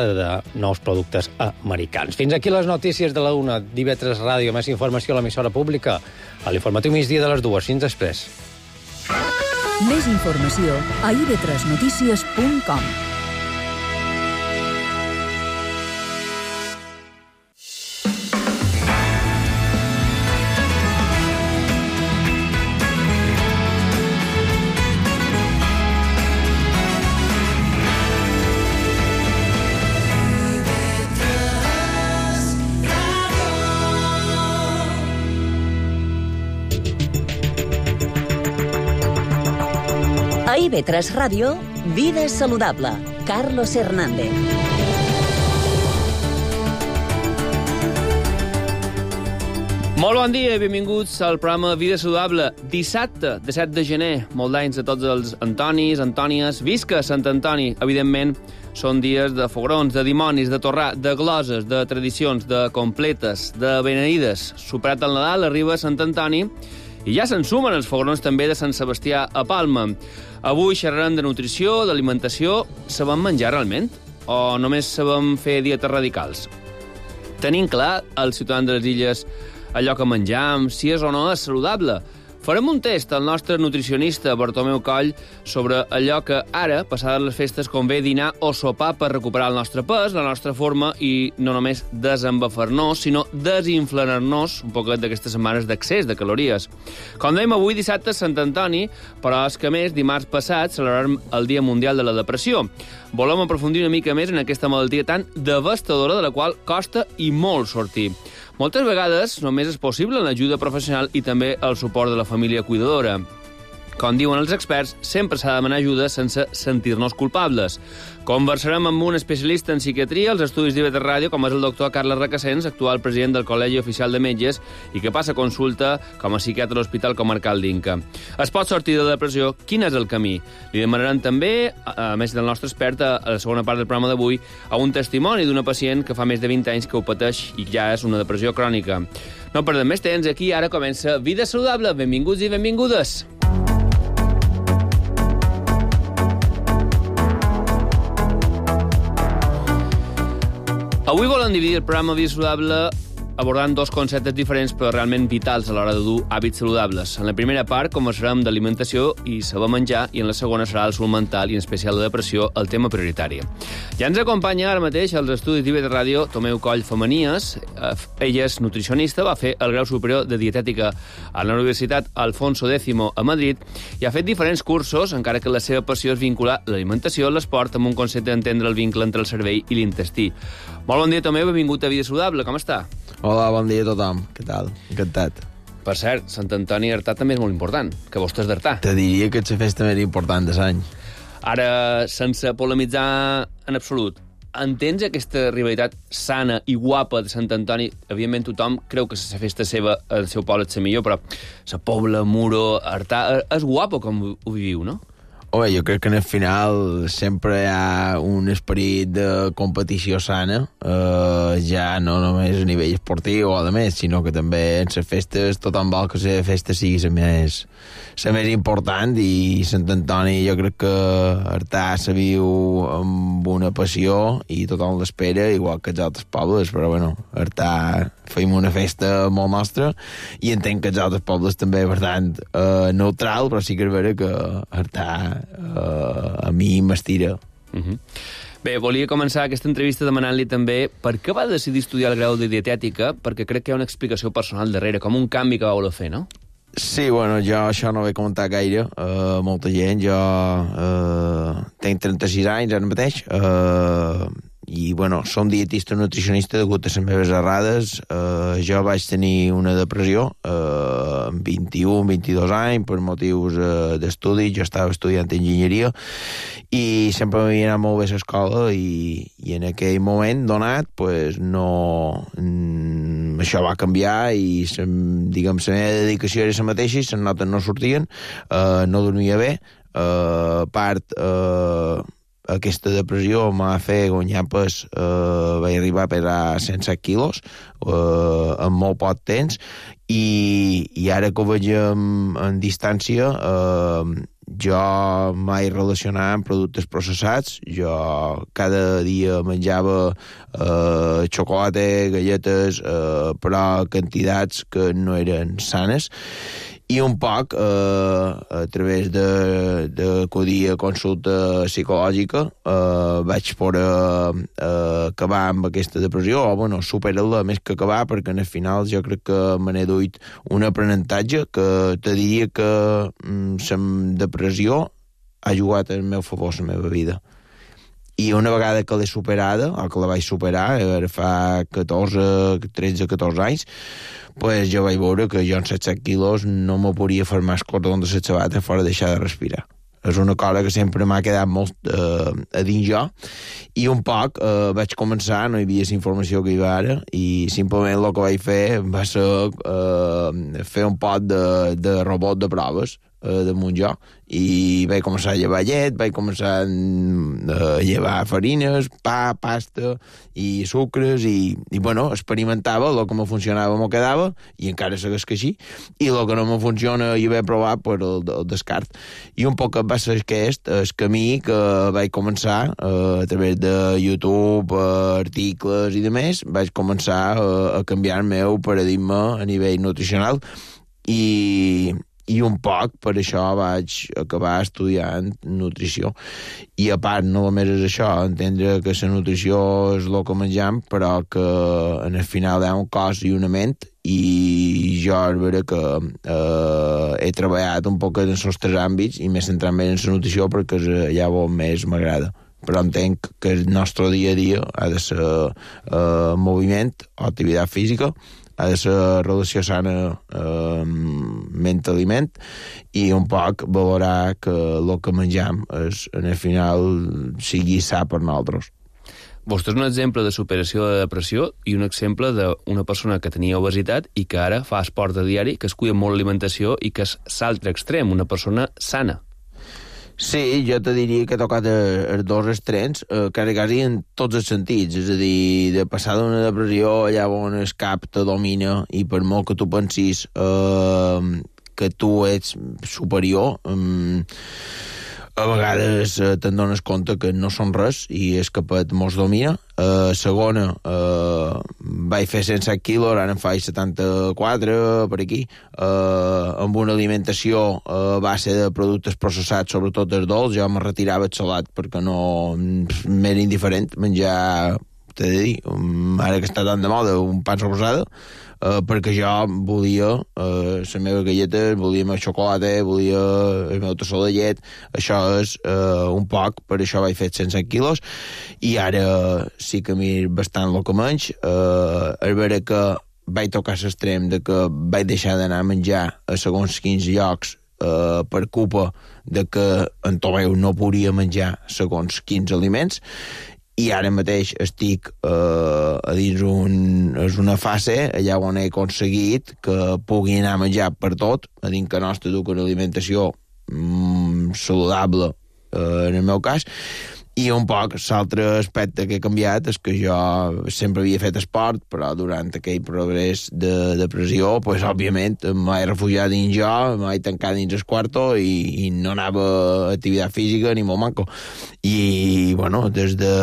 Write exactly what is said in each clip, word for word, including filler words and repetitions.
de nous productes americans. Fins aquí les notícies de la una d'I V tres Ràdio. Més informació a l'emissora pública a l'informatiu migdia de les dues. Fins després. Més informació a i ve tres notícies punt com. A I ve tres Ràdio, Vida Saludable. Carlos Hernández. Molt bon dia i benvinguts al programa Vida Saludable. Dissabte, de set de gener, molt d'anys a tots els Antonis, Antònies. Visca Sant Antoni! Evidentment, són dies de fogrons, de dimonis, de torrà, de gloses, de tradicions, de completes, de beneïdes. Superat el Nadal, arriba Sant Antoni i ja se'n sumen els fogrons també de Sant Sebastià a Palma. Avui xerrarem de nutrició, d'alimentació. Sabem menjar realment? O només sabem fer dietes radicals? Tenim clar, els ciutadans de les illes, allò que menjam, si és o no és saludable. Farem un test al nostre nutricionista Bartomeu Coll sobre allò que ara, passades les festes, convé dinar o sopar per recuperar el nostre pes, la nostra forma i no només desembafar-nos, sinó desinflar-nos un poquet d'aquestes setmanes d'accés de calories. Com dèiem, avui dissabte és Sant Antoni, però és que més, dimarts passat celebrarem el Dia Mundial de la Depressió. Volem aprofundir una mica més en aquesta malaltia tan devastadora de la qual costa i molt sortir. Moltes vegades només és possible l'ajuda professional i també el suport de la família cuidadora. Com diuen els experts, sempre s'ha de demanar ajuda sense sentir-nos culpables. Conversarem amb un especialista en psiquiatria als estudis d'I V tres Ràdio, com és el doctor Carles Requesens, actual president del Col·legi Oficial de Metges i que passa consulta com a psiquiatre a l'Hospital Comarcal d'Inca. Es pot sortir de la depressió? Quin és el camí? Li demanarem també, a més del nostre expert, a la segona part del programa d'avui, a un testimoni d'una pacient que fa més de vint anys que ho pateix i ja és una depressió crònica. No perdem més temps, aquí ara comença Vida Saludable. Benvinguts i benvingudes. Avui volem dividir el programa Vida Saludable abordant dos conceptes diferents però realment vitals a l'hora de dur hàbits saludables. En la primera part conversarem d'alimentació i saber menjar i en la segona serà el salut mental i en especial la depressió, el tema prioritari. Ja ens acompanya ara mateix als estudis d'I V tres Ràdio Tomeu Coll Femenies. Ella és nutricionista, va fer el grau superior de dietètica a la Universitat Alfonso X a Madrid i ha fet diferents cursos, encara que la seva passió és vincular l'alimentació a l'esport amb un concepte d'entendre el vincle entre el cervell i l'intestí. Molt bon dia, Tomeu, benvingut a Vida Saludable, com està? Hola, bon dia a tothom. Què tal? Encantat. Per cert, Sant Antoni d'Artà també és molt important, que vostè és d'Artà. Te diria que és la festa més important de l'any. Ara, sense polemitzar en absolut, entens aquesta rivalitat sana i guapa de Sant Antoni? Evidentment tothom creu que la festa seva al seu poble és la millor, però la Pobla, Muro, Artà, és guapo com ho viviu, no? Home, jo crec que en el final sempre hi ha un esperit de competició sana, eh, ja no només a nivell esportiu o a més, sinó que també en les festes tothom vol que la festa sigui la més, la més important i Sant Antoni jo crec que Artà se viu amb una passió i tothom l'espera, igual que els altres pobles, però bueno, Artà feim una festa molt nostra i entenc que els altres pobles també, per tant, eh, neutral, però sí que és vera que Artà Uh, a mi m'estira. Uh-huh. Bé, volia començar aquesta entrevista demanant-li també per què va decidir estudiar el grau de dietètica, perquè crec que hi ha una explicació personal darrere, com un canvi que va voler fer, no? Sí, bueno, jo això no ho he comentat gaire, uh, molta gent, jo uh, tenc trenta-sis anys ara mateix, uh, i, bueno, som dietista nutricionista degut a les meves errades. Uh, jo vaig tenir una depressió uh, amb vint-i-un, vint-i-dos anys per motius uh, d'estudi. Jo estava estudiant enginyeria i sempre m'havia anat molt bé a l'escola i, i en aquell moment donat pues, no, mm, això va canviar i diguem, la meva dedicació era la mateixa i les notes no sortien, uh, no dormia bé, uh, a part... Uh, aquesta depressió m'ha fet guanyar pes, eh, vaig arribar a pesar cent set quilos eh, en molt poc temps i, i ara que ho veig en, en distància eh, jo mai relacionava amb productes processats, jo cada dia menjava eh, xocolata, galletes, eh, però quantitats que no eren sanes, i un poc, eh, a través d'acudir a consulta psicològica, eh, vaig poder eh, acabar amb aquesta depressió, o, bueno, superar-la més que acabar, perquè al final jo crec que me n'he duit un aprenentatge que te diria que la mm, depressió ha jugat al meu favor la meva vida. I una vegada que l'he superada, o que la vaig superar, ara fa catorze, tretze, catorze anys, pues jo vaig veure que jo en setze quilos no me podia fer més cordó de les sabates fora deixar de respirar. És una cosa que sempre m'ha quedat molt eh, a dins jo, i un poc eh, vaig començar, no hi havia la informació que hi va ara, i simplement el que vaig fer va ser eh, fer un pot de, de robot de proves eh, damunt jo, i vaig començar a llevar llet, vaig començar a llevar farines, pa, pasta i sucres, i, i bueno, experimentava, el que me funcionava m'ho quedava, i encara segueix que així, i el que no me funciona i haver provat, pues, el, el descart. I un poc va ser aquest, el camí que vaig començar eh, a través de YouTube, eh, articles i demés, vaig començar eh, a canviar el meu paradigma a nivell nutricional, i i un poc per això vaig acabar estudiant nutrició. I a part, no només és això, entendre que la nutrició és el que mengem, però que en el final hi ha un cos i una ment, i jo és vera que eh, he treballat un poc en els tres àmbits i m'he centrat més en la nutrició perquè és allà on més m'agrada. Però entenc que el nostre dia a dia ha de ser eh, moviment o activitat física, ha de ser relació sana eh, ment-aliment, i un poc valorar que el que mengem és, en el final sigui sa per nosaltres. Vostè és un exemple de superació de depressió i un exemple d'una persona que tenia obesitat i que ara fa esport a diari, que es cuida molt l'alimentació i que és l'altre extrem, una persona sana. Sí, jo te diria que he tocat els dos extrems, eh, quasi, quasi en tots els sentits, és a dir, de passar d'una depressió allà on el cap te domina i per molt que tu pensis eh, que tu ets superior, eh, a vegades eh, te'n dones compte que no són res i és que mos domina. Uh, segona, uh, vaig fer cent set quilos, ara en faig setanta-quatre per aquí, uh, amb una alimentació a base de productes processats, sobretot els dolç. Jo me retirava el salat perquè no m'era indiferent menjar, t'he de dir, um, ara que està tan de moda, un pa rosada, Uh, perquè jo volia uh, la meva galleta, volia el meu xocolata, volia el meu tassó de llet. Això és uh, un poc, per això vaig fer cent set quilos, i ara sí que mir bastant el que menys. Uh, és vera que vaig tocar l'extrem de que vaig deixar d'anar a menjar a segons quins llocs uh, per culpa de que en Tomeu no podia menjar segons quins aliments, i ara mateix estic eh, a dins un, és una fase allà on he aconseguit que pugui anar a menjar per tot, a dins que nostre duc una alimentació mm, saludable eh, en el meu cas. I un poc l'altre aspecte que he canviat és que jo sempre havia fet esport, però durant aquell progrés de depressió, pues, òbviament, m'he refugiat dins jo, m'he tancat dins el quarto i, i no anava a activitat física ni molt manco. I, bueno, des de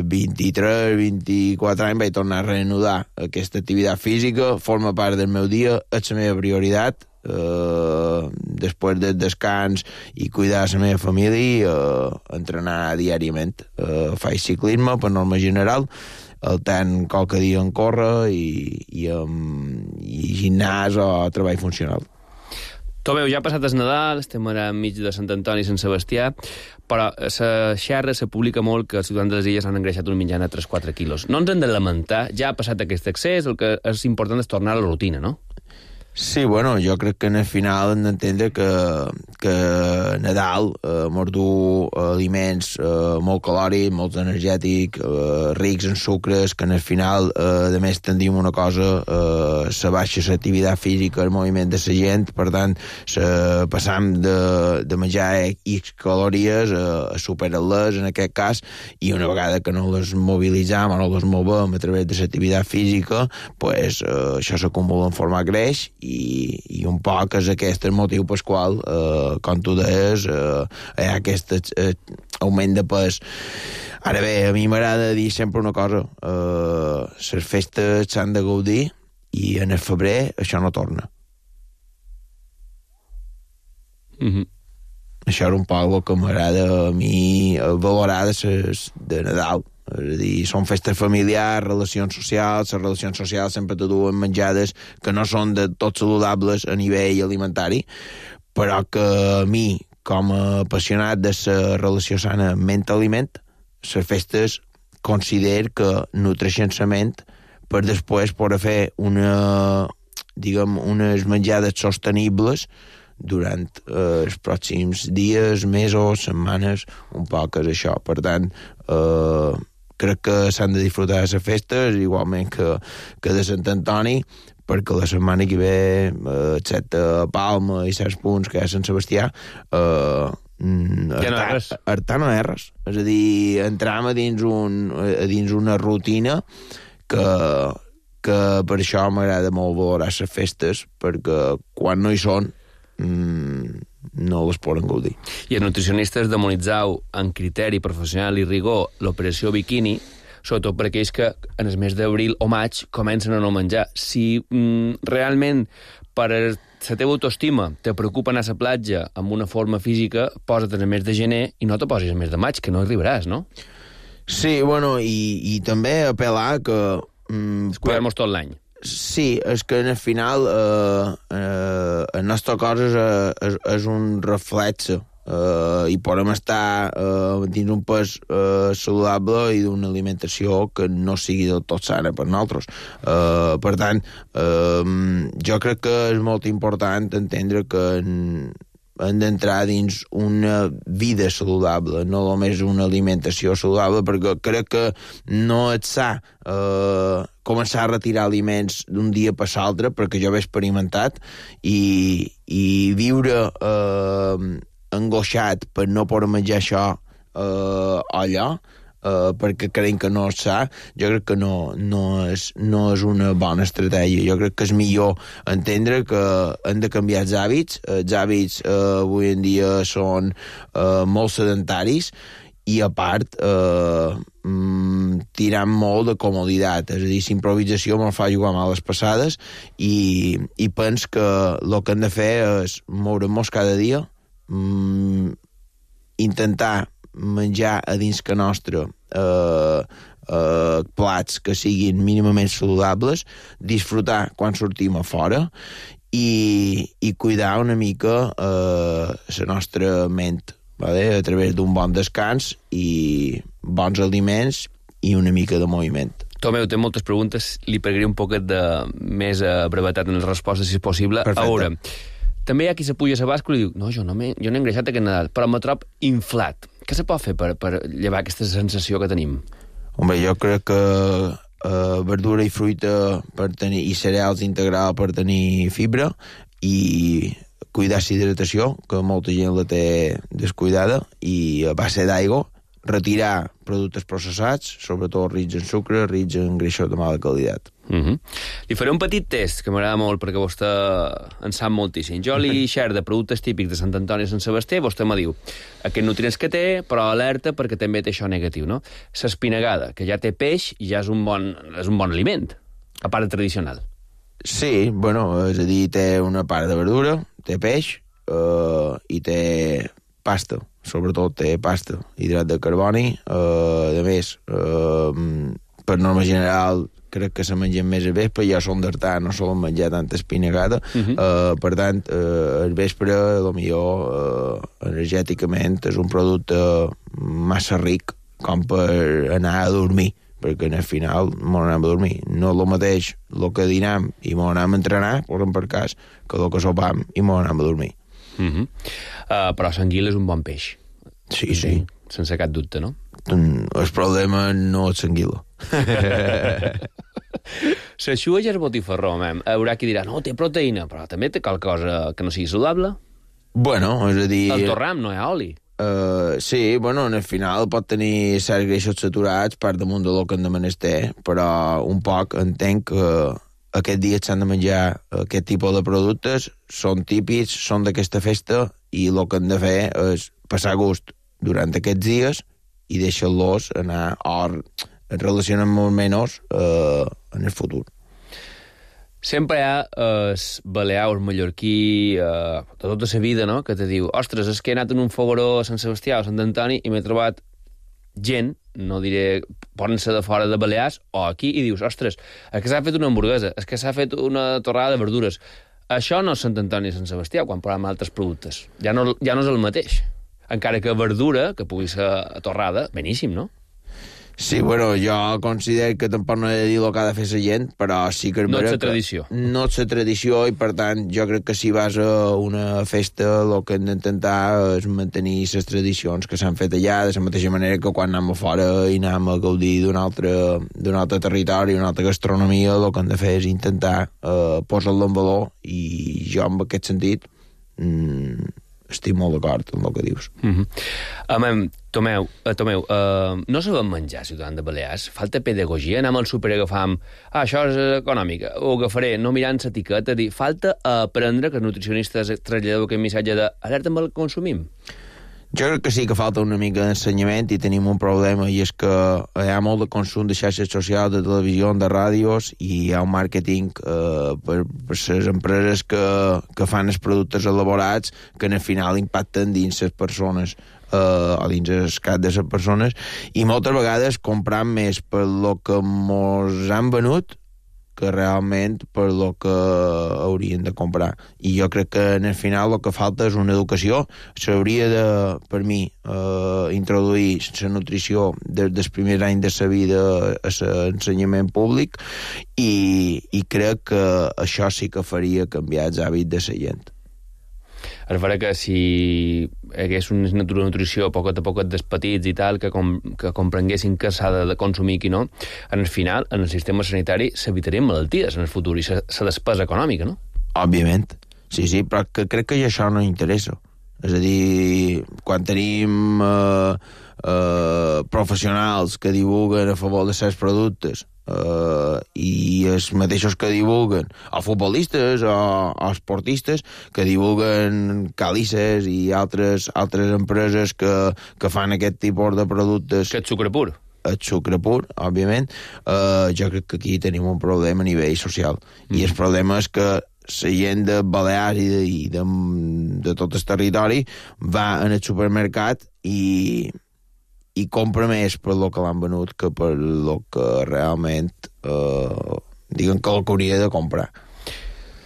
vint-i-tres, vint-i-quatre anys vaig tornar a reanudar aquesta activitat física, forma part del meu dia, és la meva prioritat. Uh, després del descans i cuidar la meva família, uh, entrenar diàriament. Uh, faig ciclisme per norma general, el tant qualque dia en córrer i, i, um, i gimnàs o treball funcional. Tomeu, ja ha passat el Nadal, estem ara enmig de Sant Antoni i Sant Sebastià, però la xerra se publica molt que els ciutadans de les illes han engreixat un mitjana de tres a quatre quilos. No ens hem de lamentar, ja ha passat aquest excés, el que és important és tornar a la rutina, no? Sí, bueno, jo crec que en el final hem d'entendre que, que Nadal eh, mos du aliments eh, molt calòrics, molt energètics, eh, rics en sucres, que en el final, eh, a més, tendim una cosa, eh, se baixa l'activitat física, el moviment de la gent, per tant, se, passam de, de menjar X calories a, a superar-les, en aquest cas, i una vegada que no les mobilitzam o no les movem a través de l'activitat física, pues, eh, això s'acumula en format greix, i, i un poc és aquest el motiu pel qual, eh, com tu deies, eh, hi ha aquest eh, augment de pes. Ara bé, a mi m'agrada dir sempre una cosa, eh, les festes s'han de gaudir i en el febrer això no torna. Mhm. Això era un poc el que m'agrada a mi valorar de, ses, de Nadal. És a dir, són festes familiars, relacions socials, les relacions socials sempre te duen menjades que no són de tot saludables a nivell alimentari, però que a mi, com a apassionat de la relació sana ment-aliment, les festes considero que nutreixen la ment per després poder fer una, diguem, unes menjades sostenibles durant eh, els pròxims dies, mesos, setmanes, un poc és això. Per tant, eh, crec que s'han de disfrutar de les festes, igualment que, que de Sant Antoni, perquè la setmana que ve, eh, excepte Palma i certs punts que hi ha Sant Sebastià, eh, ja no hi ha res. Artar no hi ha res. És a dir, entram a dins, un, a dins una rutina que, que per això m'agrada molt valorar les festes, perquè quan no hi són no les poden gaudir. I els nutricionistes demonitzau en criteri professional i rigor l'operació biquini, sobretot per aquells que en el mes d'abril o maig comencen a no menjar. Si mm, realment per la teva autoestima te preocupa anar a la platja amb una forma física, posa't en el mes de gener i no te posis el mes de maig, que no arribaràs, no? Sí, bueno, i, i també apel·lar que... Mm, Cuidar-nos tot l'any. Sí, és que en el final eh, eh, el nostre cos és, és, és un reflexe eh, i podem estar eh, dins un pes eh, saludable i d'una alimentació que no sigui del tot sana per nosaltres. Eh, per tant, eh, jo crec que és molt important entendre que en, hem d'entrar dins una vida saludable, no només una alimentació saludable, perquè crec que no és sa eh, començar a retirar aliments d'un dia per l'altre, perquè jo ho he experimentat, i, i viure eh, angoixat per no poder menjar això eh, allò, eh, perquè creiem que no és sa, jo crec que no, no, és, no és una bona estratègia. Jo crec que és millor entendre que hem de canviar els hàbits. Els hàbits eh, avui en dia són eh, molt sedentaris, i a part eh, mm, tirant molt de comoditat, és a dir, l'improvisació me'n fa jugar males passades, i, i pens que el que hem de fer és moure-nos cada dia, mm, intentar menjar a dins que nostre eh, eh, plats que siguin mínimament saludables, disfrutar quan sortim a fora i, i cuidar una mica eh, la nostra ment, vale? A través d'un bon descans i bons aliments i una mica de moviment. Tomeu, té moltes preguntes, li pegaré un poquet de més a brevetat en les respostes, si és possible. Perfecte. A veure, també hi ha qui se puja a la bàscula i diu no, jo no, me, jo no he engreixat aquest Nadal, però me trob inflat. Què se pot fer per, per llevar aquesta sensació que tenim? Home, jo crec que eh, verdura i fruita per tenir, i cereals integral per tenir fibra, i cuidar la hidratació, que molta gent la té descuidada, i a base d'aigua, retirar productes processats, sobretot rics en sucre, rics en greixos de mala qualitat. Uh -huh. Li faré un petit test, que m'agrada molt, perquè vostè en sap moltíssim. Jo li xer de productes típics de Sant Antoni i Sant Sebastià, vostè me diu aquests nutrients que té, però alerta perquè també té això negatiu, no? L'espinagada, que ja té peix i ja és un bon, és un bon aliment, a part de tradicional. Sí, bueno, és a dir, té una part de verdura, té peix eh, i té pasta, sobretot té pasta, hidrat de carboni, eh, a més, eh, per norma general, crec que se mengen més al vespre, ja som d'Artà, no solen menjar tanta espinagada, uh -huh. eh, per tant, eh, al vespre, potser eh, energèticament, és un producte massa ric com per anar a dormir, perquè al final m'ho anem a dormir. No és el mateix el que dinam i m'ho anem a entrenar, posem per cas, que el que sopam i m'ho anem a dormir. Uh -huh. uh, però l'anguila és un bon peix. Sí, sí. Sense cap dubte, no? El problema no és l'anguila. L'eixuga ja és botifarró, mem. Haurà qui dirà, no, té proteïna, però també té qualcosa que no sigui saludable. Bueno, és a dir... El torram no hi ha oli. Uh, sí, bueno, al final pot tenir certs greixos saturats per damunt de lo que en de menester, però un poc entenc que aquest dia s'han de menjar aquest tipus de productes, són típics, són d'aquesta festa, i el que han de fer és passar gust durant aquests dies i deixar-los anar o relacionar molt menys eh, en el futur. Sempre hi ha el balear o el mallorquí eh, de tota la vida, no?, que te diu, ostres, és que he anat en un fogueró a Sant Sebastià o a Sant Antoni i m'he trobat gent, no diré, poden ser de fora de Balears o aquí, i dius, ostres, és que s'ha fet una hamburguesa, és que s'ha fet una torrada de verdures. Això no és Sant Antoni i Sant Sebastià, quan parlem d'altres productes. Ja no, ja no és el mateix. Encara que verdura, que pugui ser torrada, beníssim, no? Sí, bueno, jo considero que tampoc no he de dir el que ha de fer la gent, però sí que... No és la tradició. No és la tradició, i per tant jo crec que si vas a una festa el que hem d'intentar és mantenir les tradicions que s'han fet allà, de la mateixa manera que quan anem a fora i anem a gaudir d'un altre, d'un altre territori, una altra gastronomia, el que hem de fer és intentar eh, posar-lo en valor, i jo en aquest sentit mm, estic molt d'acord amb el que dius. Mm-hmm. Amem, Tomeu, uh, Tomeu uh, no sabem menjar, ciutadans de Balears? Falta pedagogia? Anem al súper i agafam ah, això és econòmica, ho agafaré, no mirant l'etiqueta, dir, falta aprendre que els nutricionistes traslladeu aquest missatge d'alerta amb el que consumim? Jo crec que sí que falta una mica d'ensenyament, i tenim un problema, i és que hi ha molt de consum de xarxes socials, de televisió, de ràdios, i hi ha un màrqueting eh, per, per les empreses que, que fan els productes elaborats que al final impacten dins les persones, eh, o dins el cap de les persones, i moltes vegades compram més per lo que mos han venut que realment per lo que haurien de comprar. I jo crec que en el final el que falta és una educació. S'hauria de, per mi, eh, introduir la nutrició des dels primers anys de la vida a l'ensenyament públic, i, i crec que això sí que faria canviar els hàbits de la gent. Es farà que si hi hagués una nutrició poquet a poquet dels petits i tal, que, com, que comprenguessin què s'ha de consumir i qui no, en el final, en el sistema sanitari, s'evitarien malalties en el futur i la despesa econòmica, no? Òbviament, sí, sí, però que crec que això no interessa. És a dir, quan tenim eh, eh, professionals que divulguen a favor de certs productes, Uh, i els mateixos que divulguen, o futbolistes o, o esportistes que divulguen càlices i altres, altres empreses que, que fan aquest tipus de productes, que és sucre pur, el sucre pur, òbviament, uh, jo crec que aquí tenim un problema a nivell social, mm. i el problema és que la gent de Balears i de, i de, de tot el territori va en el supermercat i i compra més per lo que l'han venut que per lo que realment eh, diguen que el que hauria de comprar.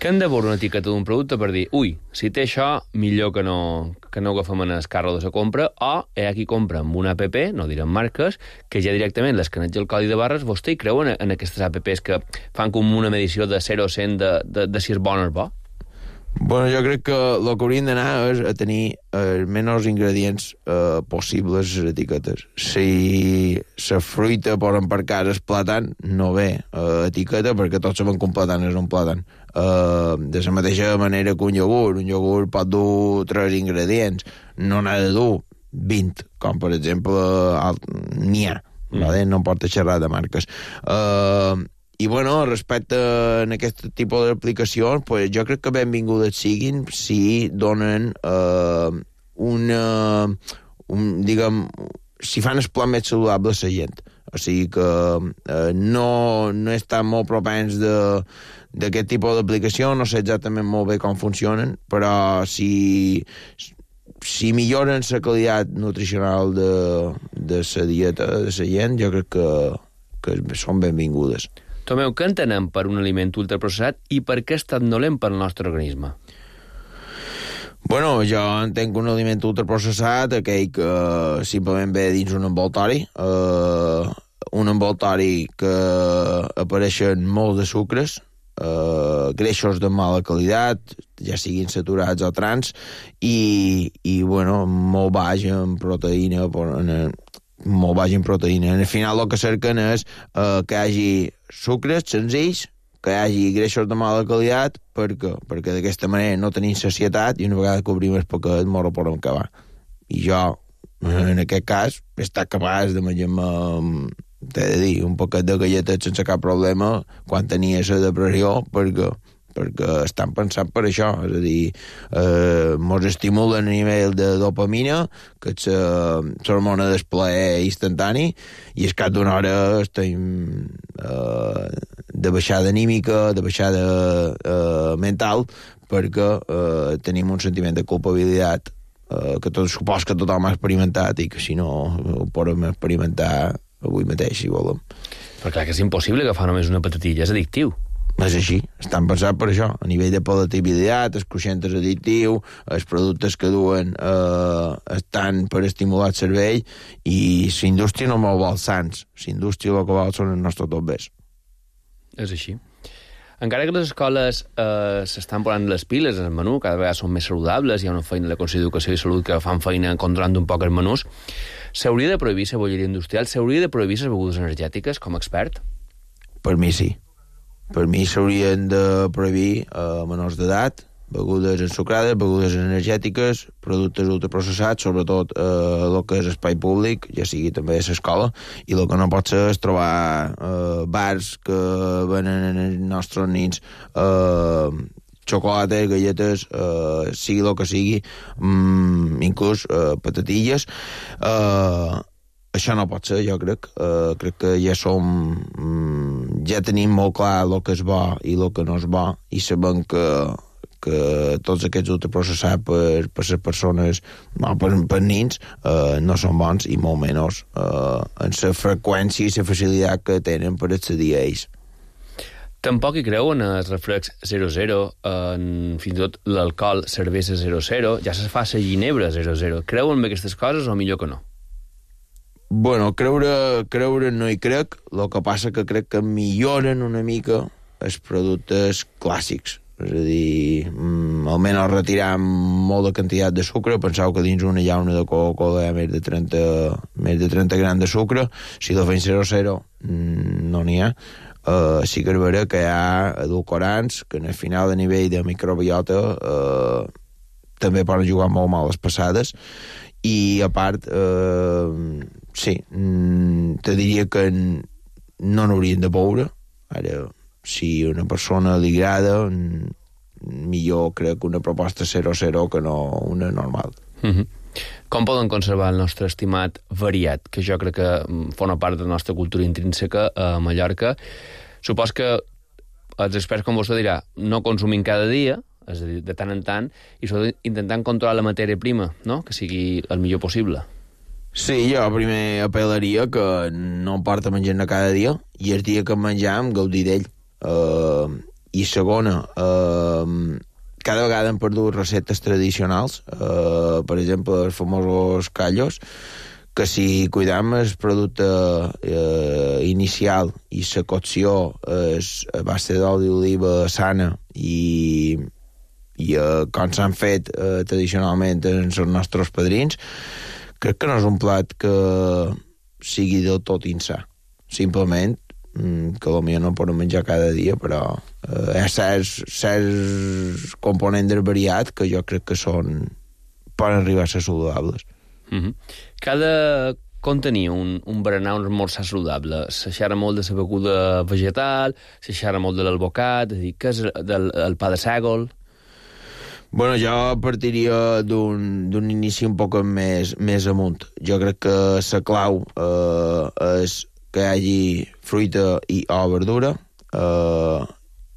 Que hem de veure una etiqueta d'un producte per dir, ui, si té això, millor que no, que no agafem en el carro de la compra, o hi ha qui compra amb una app, no direm marques, que ja directament l'escaneja el codi de barres, vostè hi creuen en aquestes apps que fan com una medició de zero a cent de, de, de si és bon o és bo? Bueno, jo crec que el que hauríem d'anar és a tenir els menys ingredients eh, possibles a les etiquetes. Si la fruita posen per casa és plàtan, no ve eh, etiqueta, perquè tots saben que un plàtan és un plàtan. Eh, de la mateixa manera que un iogurt. Un iogurt pot dur tres ingredients, no n'ha de dur vint, com per exemple n'hi ha. Mm. Vale? No em porta xerrar de marques. Eh... I, bueno, respecte a aquest tipus d'aplicacions, pues, jo crec que benvingudes siguin si donen eh, una... Un, diguem, si fan el pla més saludable a la gent. O sigui que eh, no, no estan molt propens d'aquest tipus d'aplicació, no sé exactament molt bé com funcionen, però si, si milloren la qualitat nutricional de, de la dieta de la gent, jo crec que, que són benvingudes. Tomeu, què entenem per un aliment ultraprocessat i per què és tan dolent per al nostre organisme? Bueno, jo entenc un aliment ultraprocessat, aquell que simplement ve dins un envoltori, eh, un envoltori que apareixen molts de sucres, eh, greixos de mala qualitat, ja siguin saturats o trans, i, i bueno, molt baix en proteïna, en, molt baix en proteïna. Al final el que cerquen és eh, que hi hagi sucres senzills, que hi hagi greixos de mala qualitat, perquè, perquè d'aquesta manera no tenim sacietat i una vegada que obrim el paquet mos ho podem acabar. I jo, en aquest cas, he estat capaç de menjar-me t'he de dir, un paquet de galletes sense cap problema quan tenia la depressió, perquè perquè estan pensant per això, és a dir, eh, mos estimulen a nivell de dopamina, que és l'hormona del plaer instantani, i al cap d'una hora estem eh, de baixada anímica, de baixada eh, mental, perquè eh, tenim un sentiment de culpabilitat eh, que tot, supos que tothom ha experimentat i que si no ho podem experimentar avui mateix, si volem. Però clar que és impossible agafar només una patatilla, és addictiu. És així, estan pensant per això, a nivell de palatabilitat, el creixent és addictiu, els productes que duen eh, estan per estimular el cervell, i la indústria no molt vol sants, la indústria el que vol són els nostres tombers. És així. Encara que les escoles eh, s'estan posant les piles en el menú, cada vegada són més saludables, hi ha una feina de la Conselleria d'Educació i Salut que fan feina controlant un poc els menús, s'hauria de prohibir la bolleria industrial, s'hauria de prohibir les begudes energètiques, com a expert? Per mi sí. Per mi s'haurien de prohibir a eh, menors d'edat begudes ensucrades, begudes energètiques, productes ultraprocessats, sobretot eh, el que és espai públic, ja sigui també a l'escola, i el que no pot ser és trobar eh, bars que venen als nostres nins eh, xocolates, galletes, eh, sigui el que sigui, mm, inclús eh, patatilles. Eh, Això no pot ser, jo crec. Uh, crec que ja som... Mm, ja tenim molt clar el que és bo i el que no és bo, i sabem que, que tots aquests ultraprocessats per, per les persones, no, per, per nins, uh, no són bons, i molt menys uh, en la freqüència i la facilitat que tenen per accedir a ells. Tampoc hi creu en els refrescs zero zero, en fins i tot l'alcohol, cervesa zero zero, ja se fa la ginebra zero zero. Creuen en aquestes coses o millor que no? Bueno, creure, creure no hi crec, el que passa que crec que milloren una mica els productes clàssics. És a dir, mm, almenys retirar molt de quantitat de sucre. Penseu que dins una llauna de Coca-Cola hi ha més de trenta, més de trenta grams de sucre. Si la fem zero zero, mm, no n'hi ha. Uh, sí que és vera que hi ha edulcorants que en el final a nivell de microbiota uh, també poden jugar molt mal les passades, i a part uh, sí, mm, te diria que no n'haurien de beure. Ara, si a una persona li agrada, millor crec que una proposta zero zero que no una normal. Mm-hmm. Com poden conservar el nostre estimat variat, que jo crec que forma part de la nostra cultura intrínseca a Mallorca? Supos que els experts com vostè dirà, no consumim cada dia, és a dir, de tant en tant, i sobretot intentant controlar la matèria prima, no? Que sigui el millor possible. Sí, jo primer apel·laria que no porta menjar-ne cada dia, i el dia que menjam, gaudir d'ell. Uh, I segona, uh, cada vegada hem perdut receptes tradicionals, uh, per exemple, els famosos callos, que si cuidam el producte uh, inicial i la cocció és a base d'oli d'oliva sana i, i uh, com s'han fet uh, tradicionalment els nostres padrins, crec que no és un plat que sigui del tot insà. Simplement que potser no podem menjar cada dia, però eh, hi ha certs, certs components del variat que jo crec que són poden arribar a ser saludables. Mm-hmm. Cada com tenia un, un berenar, un esmorzar saludable? Se xerra molt de la beguda vegetal, se xerra molt de l'albocat, és a dir, què és del, el pa de sègol? Bueno, jo partiria d'un, d'un inici un poc més, més amunt. Jo crec que la clau eh, és que hi hagi fruita i o verdura, eh,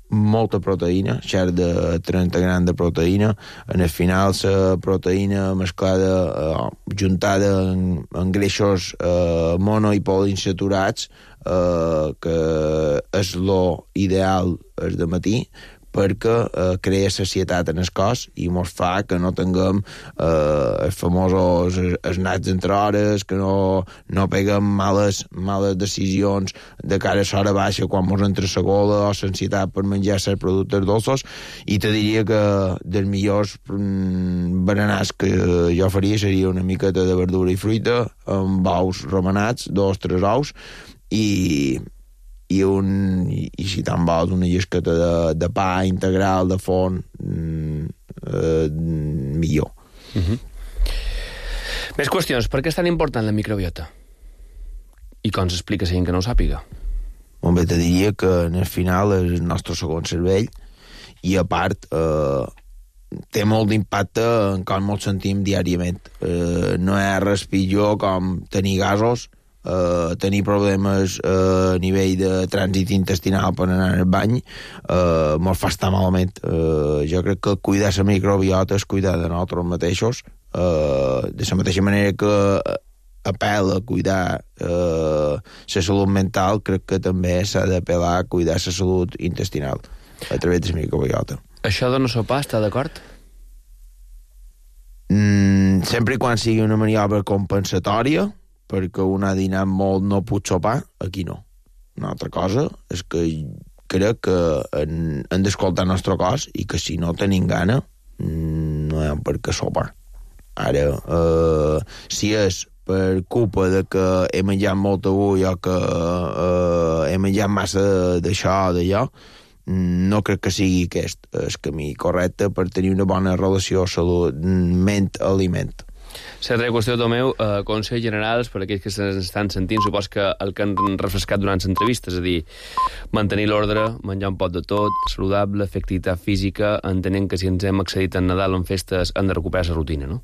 molta proteïna, xer de trenta grams de proteïna. En el final, la proteïna mesclada, eh, juntada en, en greixos eh, mono i poliinsaturats, eh, que és lo ideal és de matí, perquè eh, crea sacietat en el cos i mos fa que no tinguem eh, els famosos esnats entre hores, que no, no peguem males, males decisions de cara a l'hora baixa quan mos entra la gola o l'ansietat per menjar certs productes dolços. I te diria que dels millors mm, berenars que jo faria seria una miqueta de verdura i fruita amb ous remenats, dos, tres ous, i i, un, i, i si te'n vols una llesqueta de, de pa integral de forn, mm, eh, millor. Uh-huh. Més qüestions. Per què és tan important la microbiota? I com s'explica la gent que no ho sàpiga? Molt bé, te diria que en el final és el nostre segon cervell i a part eh, té molt d'impacte en com ens sentim diàriament. Eh, no hi ha res pitjor com tenir gasos, eh, tenir problemes eh, a nivell de trànsit intestinal per anar al bany, eh, molt fa estar malament. Eh, jo crec que cuidar la microbiota és cuidar de nosaltres mateixos, eh, de la mateixa manera que apel·la a cuidar eh, la salut mental, crec que també s'ha d'apel·lar a cuidar la salut intestinal a través de la microbiota. Això de no sopar, està d'acord? Mm, sempre i quan sigui una maniobra compensatòria, perquè un ha dinat molt, no pot sopar, aquí no. Una altra cosa és que crec que hem, hem d'escoltar el nostre cos i que si no tenim gana, no hi ha per què sopar. Ara, eh, si és per culpa de que he menjat molt avui o que eh, he menjat massa d'això o d'allò, no crec que sigui aquest el camí correcte per tenir una bona relació salut ment-aliment. Certa qüestió, Tomeu, eh, consells generals per a aquells que s'estan sentint, supos que el que han refrescat durant l'entrevista, és a dir, mantenir l'ordre, menjar un pot de tot, saludable, fer activitat física, entenent que si ens hem accedit en Nadal o en festes hem de recuperar la rutina, no?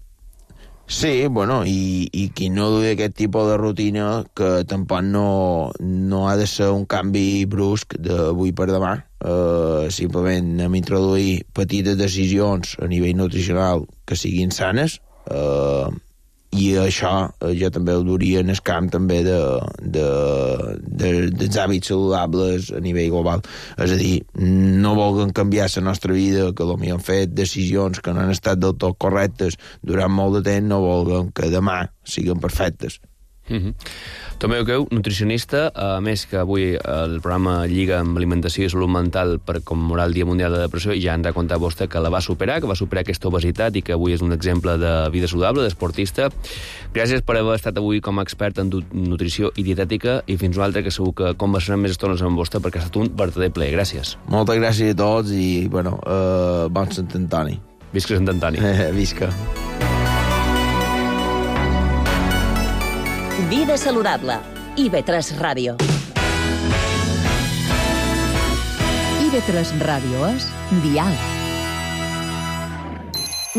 Sí, bueno, i, i qui no duia aquest tipus de rutina, que tampoc no, no ha de ser un canvi brusc d'avui per demà, uh, simplement hem introduït petites decisions a nivell nutricional que siguin sanes, uh, i això uh, jo també ho duria en el camp també de, de, de, dels hàbits saludables a nivell global. És a dir, no vulguem canviar la nostra vida, que potser han fet decisions que no han estat del tot correctes durant molt de temps, no vulguem que demà siguin perfectes. Mm-hmm. Tomeu Queu, nutricionista, a més que avui el programa lliga amb alimentació i salut mental per commemorar el Dia Mundial de la Depressió, i ja ens ha contat vostè que la va superar, que va superar aquesta obesitat i que avui és un exemple de vida saludable, d'esportista. Gràcies per haver estat avui com a expert en nutrició i dietètica, i fins una altra, que segur que conversarem més estones amb vostè, perquè ha estat un verdader plaer. Gràcies. Moltes gràcies a tots i, bueno, uh, bon Sant Antoni. Visca Sant Antoni. Visca. Vida saludable. I ve tres Ràdio. I ve tres Ràdio és Dial.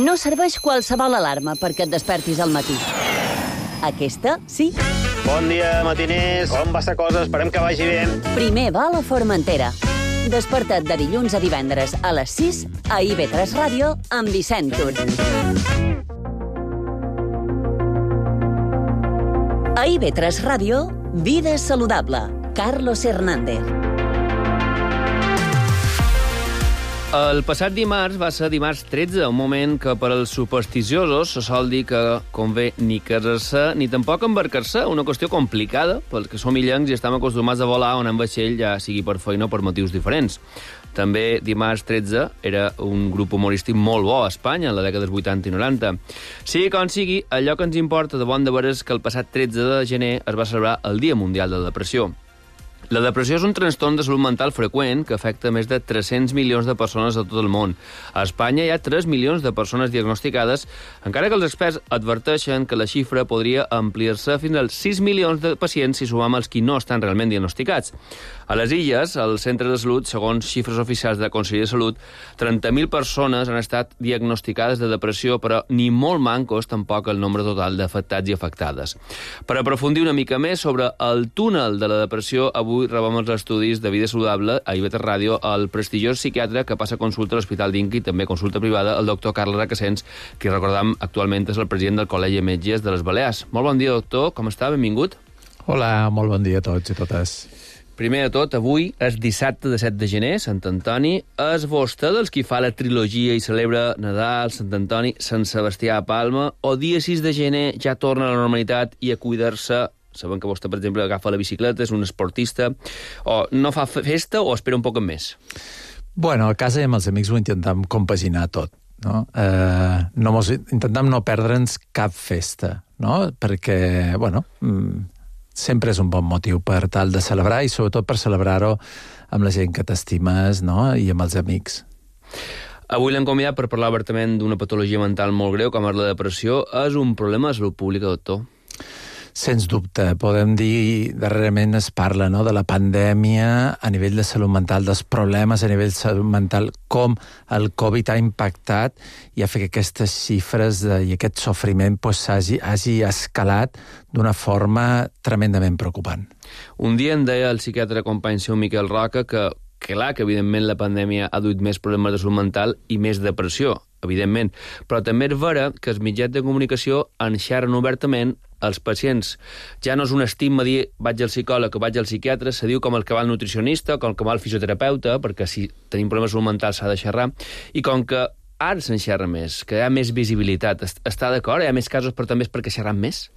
No serveix qualsevol alarma perquè et despertis al matí. Aquesta, sí. Bon dia, matiners. Com va la cosa? Esperem que vagi bé. Primer va a la Formentera. Desperta't de dilluns a divendres a les sis a I ve tres Ràdio amb Vicent Tur. A I ve tres Ràdio, Vida saludable. Carlos Hernández. El passat dimarts va ser dimarts tretze, un moment que per als supersticiosos se sol dir que convé ni casar-se ni tampoc embarcar-se, una qüestió complicada pels que som illencs i estem acostumats a volar on en vaixell, ja sigui per feina o per motius diferents. També dimarts tretze era un grup humorístic molt bo a Espanya, en la dècada dels vuitanta i noranta. Sigui com sigui, allò que ens importa de bon de veres és que el passat tretze de gener es va celebrar el Dia Mundial de la Depressió. La depressió és un trastorn de salut mental freqüent que afecta més de tres-cents milions de persones a tot el món. A Espanya hi ha tres milions de persones diagnosticades, encara que els experts adverteixen que la xifra podria ampliar-se fins als sis milions de pacients si sumam els qui no estan realment diagnosticats. A les Illes, als centres de salut, segons xifres oficials de la Conselleria de Salut, trenta mil persones han estat diagnosticades de depressió, però ni molt mancos tampoc el nombre total d'afectats i afectades. Per aprofundir una mica més sobre el túnel de la depressió, avui rebem els estudis de Vida Saludable a I ve tres Ràdio el prestigiós psiquiatre que passa consulta a l'Hospital d'Inca i també consulta privada, el doctor Carles Requesens, que recordam actualment és el president del Col·legi de Metges de les Balears. Molt bon dia, doctor. Com està? Benvingut. Hola, molt bon dia a tots i totes. Primer de tot, avui és dissabte de set de gener, Sant Antoni. És vostè dels qui fa la trilogia i celebra Nadal, Sant Antoni, Sant Sebastià a Palma, o dia sis de gener ja torna a la normalitat i a cuidar-se? Sabem que vostè, per exemple, agafa la bicicleta, és un esportista, o no fa festa o espera un poc més? Bueno, a casa i amb els amics ho intentam compaginar tot, no? Eh, no mos, intentam no perdre'ns cap festa, no? Perquè, bueno, sempre és un bon motiu per tal de celebrar i sobretot per celebrar-ho amb la gent que t'estimes, no? I amb els amics. Avui l'hem convidat per parlar obertament d'una patologia mental molt greu, com és la depressió. És un problema de salut pública, doctor? Sens dubte, podem dir, darrerament es parla, no?, de la pandèmia a nivell de salut mental, dels problemes a nivell de salut mental, com el Covid ha impactat i ha fet que aquestes xifres de, i aquest sofriment pues, hagi, hagi escalat d'una forma tremendament preocupant. Un dia em deia el psiquiatre company seu Miquel Roca que, que clar, que evidentment la pandèmia ha duit més problemes de salut mental i més depressió, evidentment, però també és vera que els mitjans de comunicació enxerren obertament els pacients. Ja no és un estigma dir vaig al psicòleg o vaig al psiquiatre, se diu com el que va al nutricionista, com el que va al fisioterapeuta, perquè si tenim problemes de salut mental s'ha de xerrar, i com que ara se'n xerra més, que hi ha més visibilitat. Està d'acord? Hi ha més casos, però també és perquè xerram més?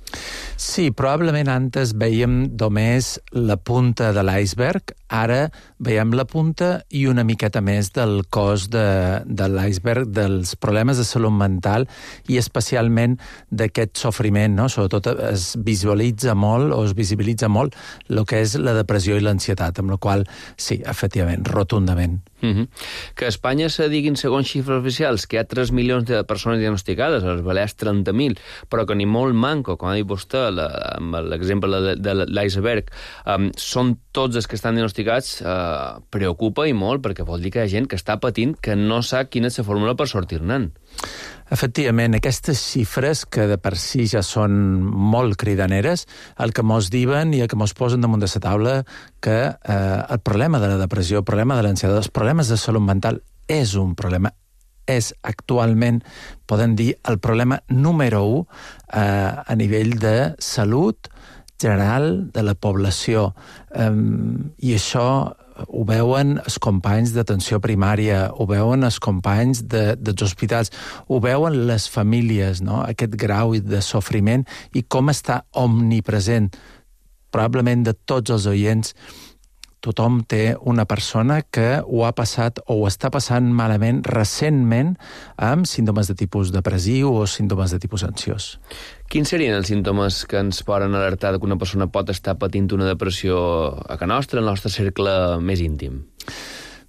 Sí, probablement antes veiem només la punta de l'iceberg, ara veiem la punta i una miqueta més del cos de, de l'iceberg, dels problemes de salut mental i especialment d'aquest sofriment, no? Sobretot es visualitza molt o es visibilitza molt el que és la depressió i l'ansietat, amb la qual, sí, efectivament, rotundament. Uh-huh. Que a Espanya se diguin, segons xifres oficials, que hi ha tres milions de persones diagnosticades, als Balears trenta mil, però que ni molt manco, com ha dit vostè, la, amb l'exemple de, de l'iceberg, um, són tots els que estan diagnosticats, uh, preocupa i molt, perquè vol dir que hi ha gent que està patint que no sap quina és la fórmula per sortir-ne'n. Efectivament, aquestes xifres, que de per si ja són molt cridaneres, el que mos diuen i el que mos posen damunt de la taula que eh, el problema de la depressió, el problema de l'ansietat, els problemes de salut mental és un problema, és actualment, podem dir, el problema número u eh, a nivell de salut general de la població. Um, I això ho veuen els companys d'atenció primària, ho veuen els companys de, dels hospitals, ho veuen les famílies, no? Aquest grau de sofriment i com està omnipresent. Probablement de tots els oients, tothom té una persona que ho ha passat o ho està passant malament recentment amb símptomes de tipus depressiu o símptomes de tipus ansiós. Quins serien els símptomes que ens poden alertar que una persona pot estar patint una depressió a casa nostra, al nostre cercle més íntim?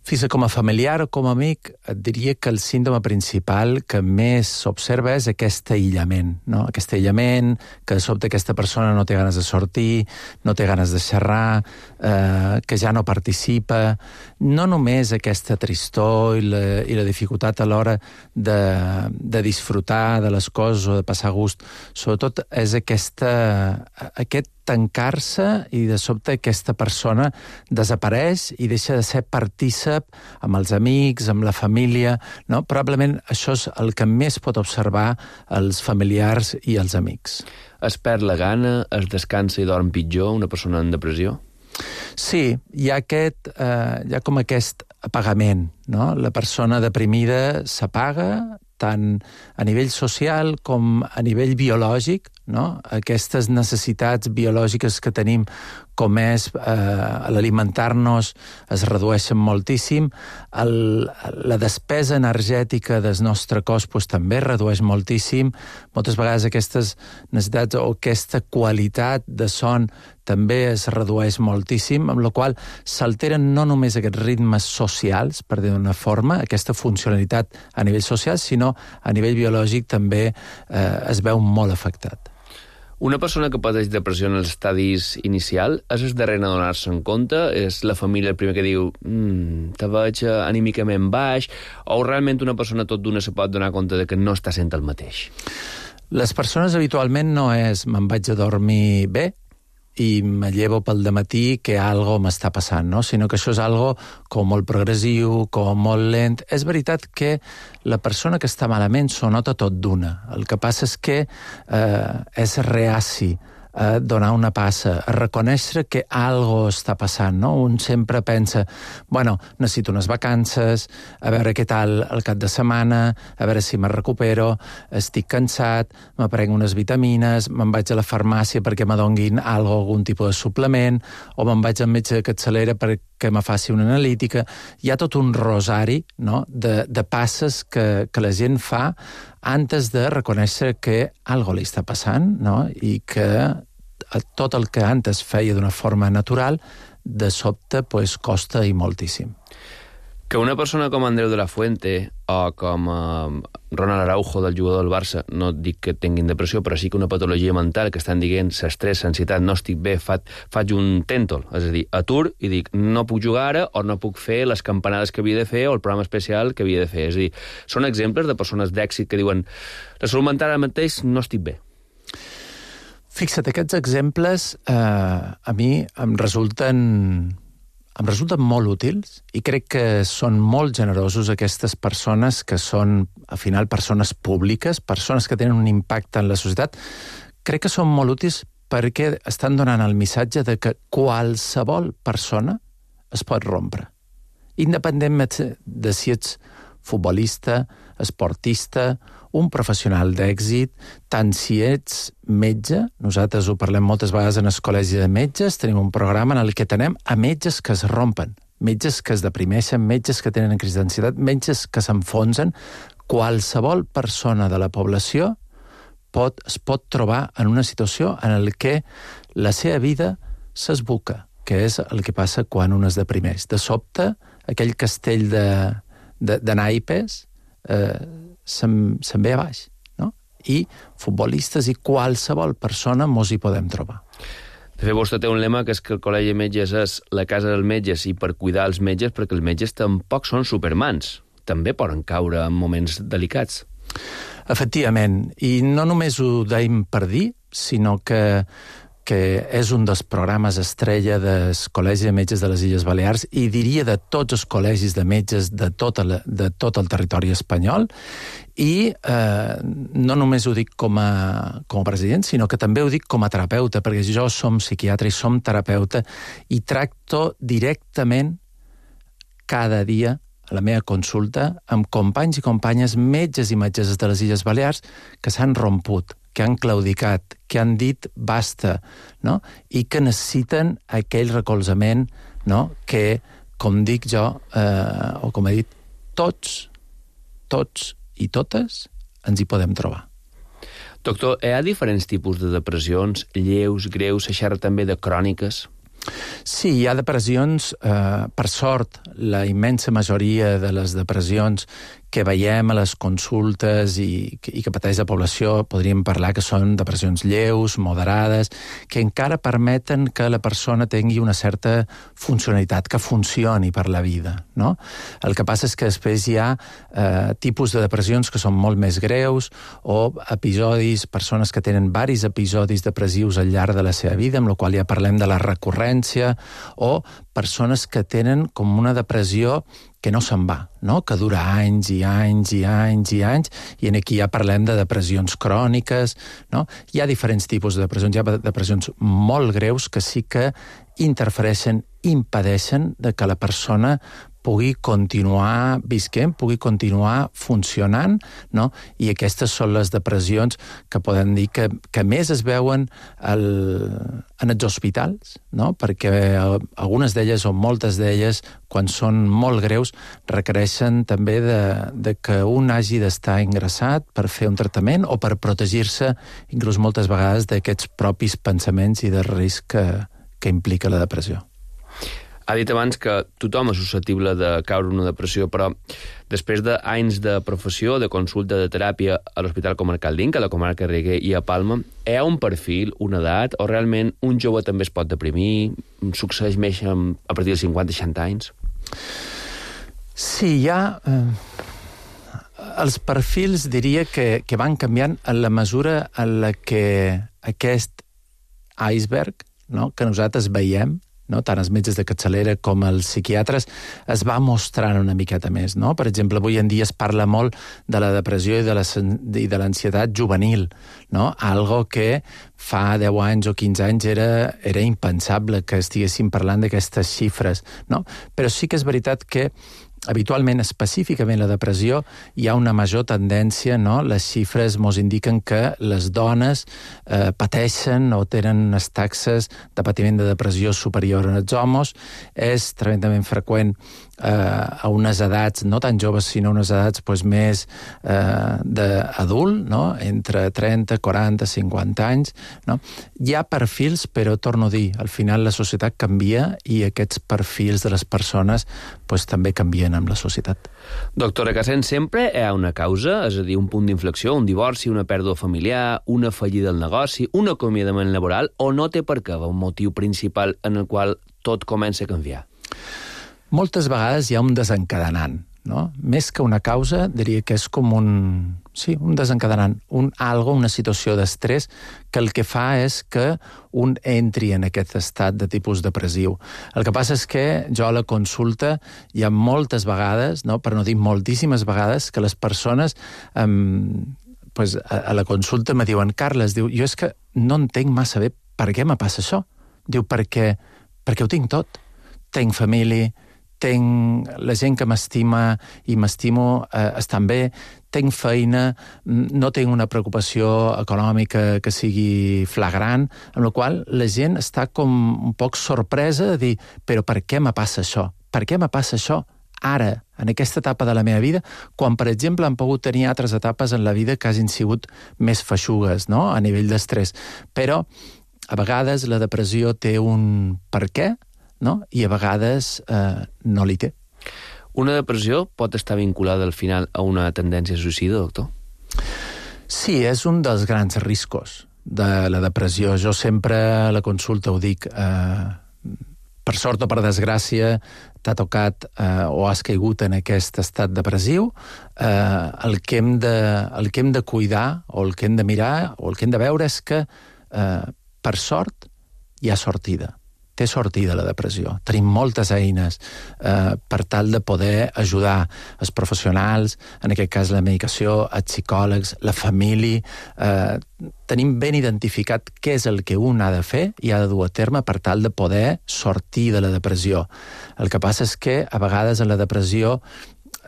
Fins com a familiar o com a amic, et diria que el símptoma principal que més s'observa és aquest aïllament, no? Aquest aïllament, que de sobte aquesta persona no té ganes de sortir, no té ganes de xerrar, eh, que ja no participa. No només aquesta tristor i la, i la dificultat a l'hora de, de disfrutar de les coses o de passar gust, sobretot és aquesta, aquest tancar-se i de sobte aquesta persona desapareix i deixa de ser partícip amb els amics, amb la família, no? Probablement això és el que més pot observar els familiars i els amics. Es perd la gana, es descansa i dorm pitjor, una persona en depressió? Sí, hi ha, aquest, eh, hi ha com aquest apagament, no? La persona deprimida s'apaga, tant a nivell social com a nivell biològic, no? Aquestes necessitats biològiques que tenim, com és eh, l'alimentar-nos, es redueixen moltíssim. El, la despesa energètica del nostre cos pues, també es redueix moltíssim. Moltes vegades aquestes necessitats o aquesta qualitat de son també es redueix moltíssim, amb la qual s'alteren no només aquests ritmes socials, per dir d'una forma, aquesta funcionalitat a nivell social, sinó a nivell biològic també eh, es veu molt afectat. Una persona que pateix depressió en els estadis inicial és el darrer a donar-se en compte? És la família el primer que diu mm, te veig anímicament baix? O realment una persona tot d'una se pot donar compte de que no està sent el mateix? Les persones habitualment no és me'n vaig a dormir bé i me llevo pel dematí que algo m'està passant, no? Sinó que això és algo com molt progressiu, com molt lent. És veritat que la persona que està malament s'ho nota tot d'una. El que passa és que eh, és reaci a donar una passa, a reconèixer que algo està passant, no? Un sempre pensa, bueno, necessito unes vacances, a veure què tal el cap de setmana, a veure si me recupero, estic cansat, me prenc unes vitamines, me'n vaig a la farmàcia perquè me donguin algo, algun tipus de suplement, o me'n vaig al metge de capçalera perquè me faci una analítica. Hi ha tot un rosari, no?, de, de passes que, que la gent fa antes de reconèixer que algo li està passant, no?, i que tot el que antes feia d'una forma natural, de sobte, pues, costa i moltíssim. Que una persona com Andreu de la Fuente o com uh, Ronald Araujo, del jugador del Barça, no dic que tinguin depressió, però sí que una patologia mental que estan dient s'estrès, ansietat, no estic bé, fa, faig un tèntol, és a dir, atur i dic no puc jugar ara o no puc fer les campanades que havia de fer o el programa especial que havia de fer. És a dir, són exemples de persones d'èxit que diuen la salut mental ara mateix no estic bé. Fixa't, aquests exemples eh, a mi em resulten... em resulten molt útils i crec que són molt generosos aquestes persones que són, al final, persones públiques, persones que tenen un impacte en la societat. Crec que són molt útils perquè estan donant el missatge de que qualsevol persona es pot rompre. Independentment de si ets futbolista, esportista, un professional d'èxit, tant si ets metge, nosaltres ho parlem moltes vegades en el col·legi de metges, tenim un programa en el que tenem a metges que es rompen, metges que es deprimeixen, metges que tenen crisi d'ansietat, metges que s'enfonsen. Qualsevol persona de la població pot, es pot trobar en una situació en la que la seva vida s'esbuca, que és el que passa quan un es deprimeix. De sobte, aquell castell de, de, de naipes eh, se'n, se'n ve a baix, no? I futbolistes i qualsevol persona mos hi podem trobar. De fet, vostè té un lema que és que el Col·legi de Metges és la casa dels metges i per cuidar els metges, perquè els metges tampoc són supermans. També poden caure en moments delicats. Efectivament, i no només ho deim per dir, sinó que que és un dels programes estrella del Col·legi de Metges de les Illes Balears i diria de tots els col·legis de metges de tot el, de tot el territori espanyol, i eh, no només ho dic com a, com a president, sinó que també ho dic com a terapeuta, perquè jo som psiquiatre i som terapeuta i tracto directament cada dia a la meva consulta amb companys i companyes, metges i metgesses de les Illes Balears que s'han romput, que han claudicat, que han dit basta, no? I que necessiten aquell recolzament, no? Que, com dic jo, eh, o com he dit, tots, tots i totes ens hi podem trobar. Doctor, hi ha diferents tipus de depressions, lleus, greus, se xerra també de cròniques? Sí, hi ha depressions, eh, per sort, la immensa majoria de les depressions que veiem a les consultes i, i que pateix la població, podríem parlar que són depressions lleus, moderades, que encara permeten que la persona tingui una certa funcionalitat, que funcioni per la vida, no? El que passa és que després hi ha eh, tipus de depressions que són molt més greus, o episodis, persones que tenen varis episodis depressius al llarg de la seva vida, amb la qual ja parlem de la recurrència, o persones que tenen com una depressió que no se'n va, no? Que dura anys i anys i anys i anys, i aquí ja parlem de depressions cròniques, no? Hi ha diferents tipus de depressions, hi ha depressions molt greus que sí que interfereixen, impedeixen de que la persona pugui continuar visquent, pugui continuar funcionant, no? I aquestes són les depressions que podem dir que, que més es veuen al, en els hospitals, no? Perquè algunes d'elles, o moltes d'elles, quan són molt greus, requereixen també de, de que un hagi d'estar ingressat per fer un tractament o per protegir-se, inclús moltes vegades, d'aquests propis pensaments i del risc que, que implica la depressió. Ha dit abans que tothom és susceptible de caure en una depressió, però després d'anys de professió, de consulta, de teràpia a l'Hospital Comarcal d'Inca, a la comarca Reguer i a Palma, hi ha un perfil, una edat, o realment un jove també es pot deprimir? Succeeix més a partir dels cinquanta seixanta anys? Sí, hi ha... Eh, els perfils diria que, que van canviant en la mesura en la que aquest iceberg, no?, que nosaltres veiem, no? Tant els metges de capçalera com els psiquiatres, es va mostrant una miqueta més, no? Per exemple, avui en dia es parla molt de la depressió i de la, i de l'ansietat juvenil, no? Algo que fa deu anys o quinze anys era, era impensable que estiguéssim parlant d'aquestes xifres, no? Però sí que és veritat que habitualment, específicament la depressió, hi ha una major tendència, no? Les xifres mos indiquen que les dones eh, pateixen o tenen unes taxes de patiment de depressió superior als homes. És tremendament freqüent eh, a unes edats, no tan joves, sinó unes edats pues, més eh, d'adult, no? Entre trenta, quaranta, cinquanta anys. No? Hi ha perfils, però torno a dir, al final la societat canvia i aquests perfils de les persones pues, també canvien amb la societat. Doctor Recasens, sempre hi ha una causa, és a dir, un punt d'inflexió, un divorci, una pèrdua familiar, una fallida del negoci, un acomiadament laboral, o no té per què un motiu principal en el qual tot comença a canviar? Moltes vegades hi ha un desencadenant, no? Més que una causa, diria que és com un... Sí, un desencadenant, un algo, una situació d'estrès que el que fa és que un entri en aquest estat de tipus depressiu. El que passa és que jo a la consulta hi ha moltes vegades, no? Per no dir moltíssimes vegades, que les persones eh, pues, a, a la consulta me diuen Carles, diu, jo és que no entenc massa bé per què me passa això. Diu, perquè, perquè ho tinc tot. Tenc família, tenc la gent que m'estima i m'estimo eh, estan bé, tenc feina, no tinc una preocupació econòmica que sigui flagrant, amb la qual la gent està com un poc sorpresa de dir, però per què me passa això? Per què me passa això ara, en aquesta etapa de la meva vida, quan, per exemple, han pogut tenir altres etapes en la vida que hagin sigut més feixugues, no?, a nivell d'estrès. Però, a vegades, la depressió té un per què, no? I a vegades eh, no li té. Una depressió pot estar vinculada al final a una tendència suïcida, doctor? Sí, és un dels grans riscos de la depressió. Jo sempre a la consulta ho dic, eh, per sort o per desgràcia, t'ha tocat eh, o has caigut en aquest estat depressiu, eh, el, que hem de, el que hem de cuidar o el que hem de mirar o el que hem de veure és que, eh, per sort, hi ha sortida. Té sortida la depressió. Tenim moltes eines eh, per tal de poder ajudar els professionals, en aquest cas la medicació, els psicòlegs, la família. Eh, tenim ben identificat què és el que un ha de fer i ha de dur a terme per tal de poder sortir de la depressió. El que passa és que a vegades en la depressió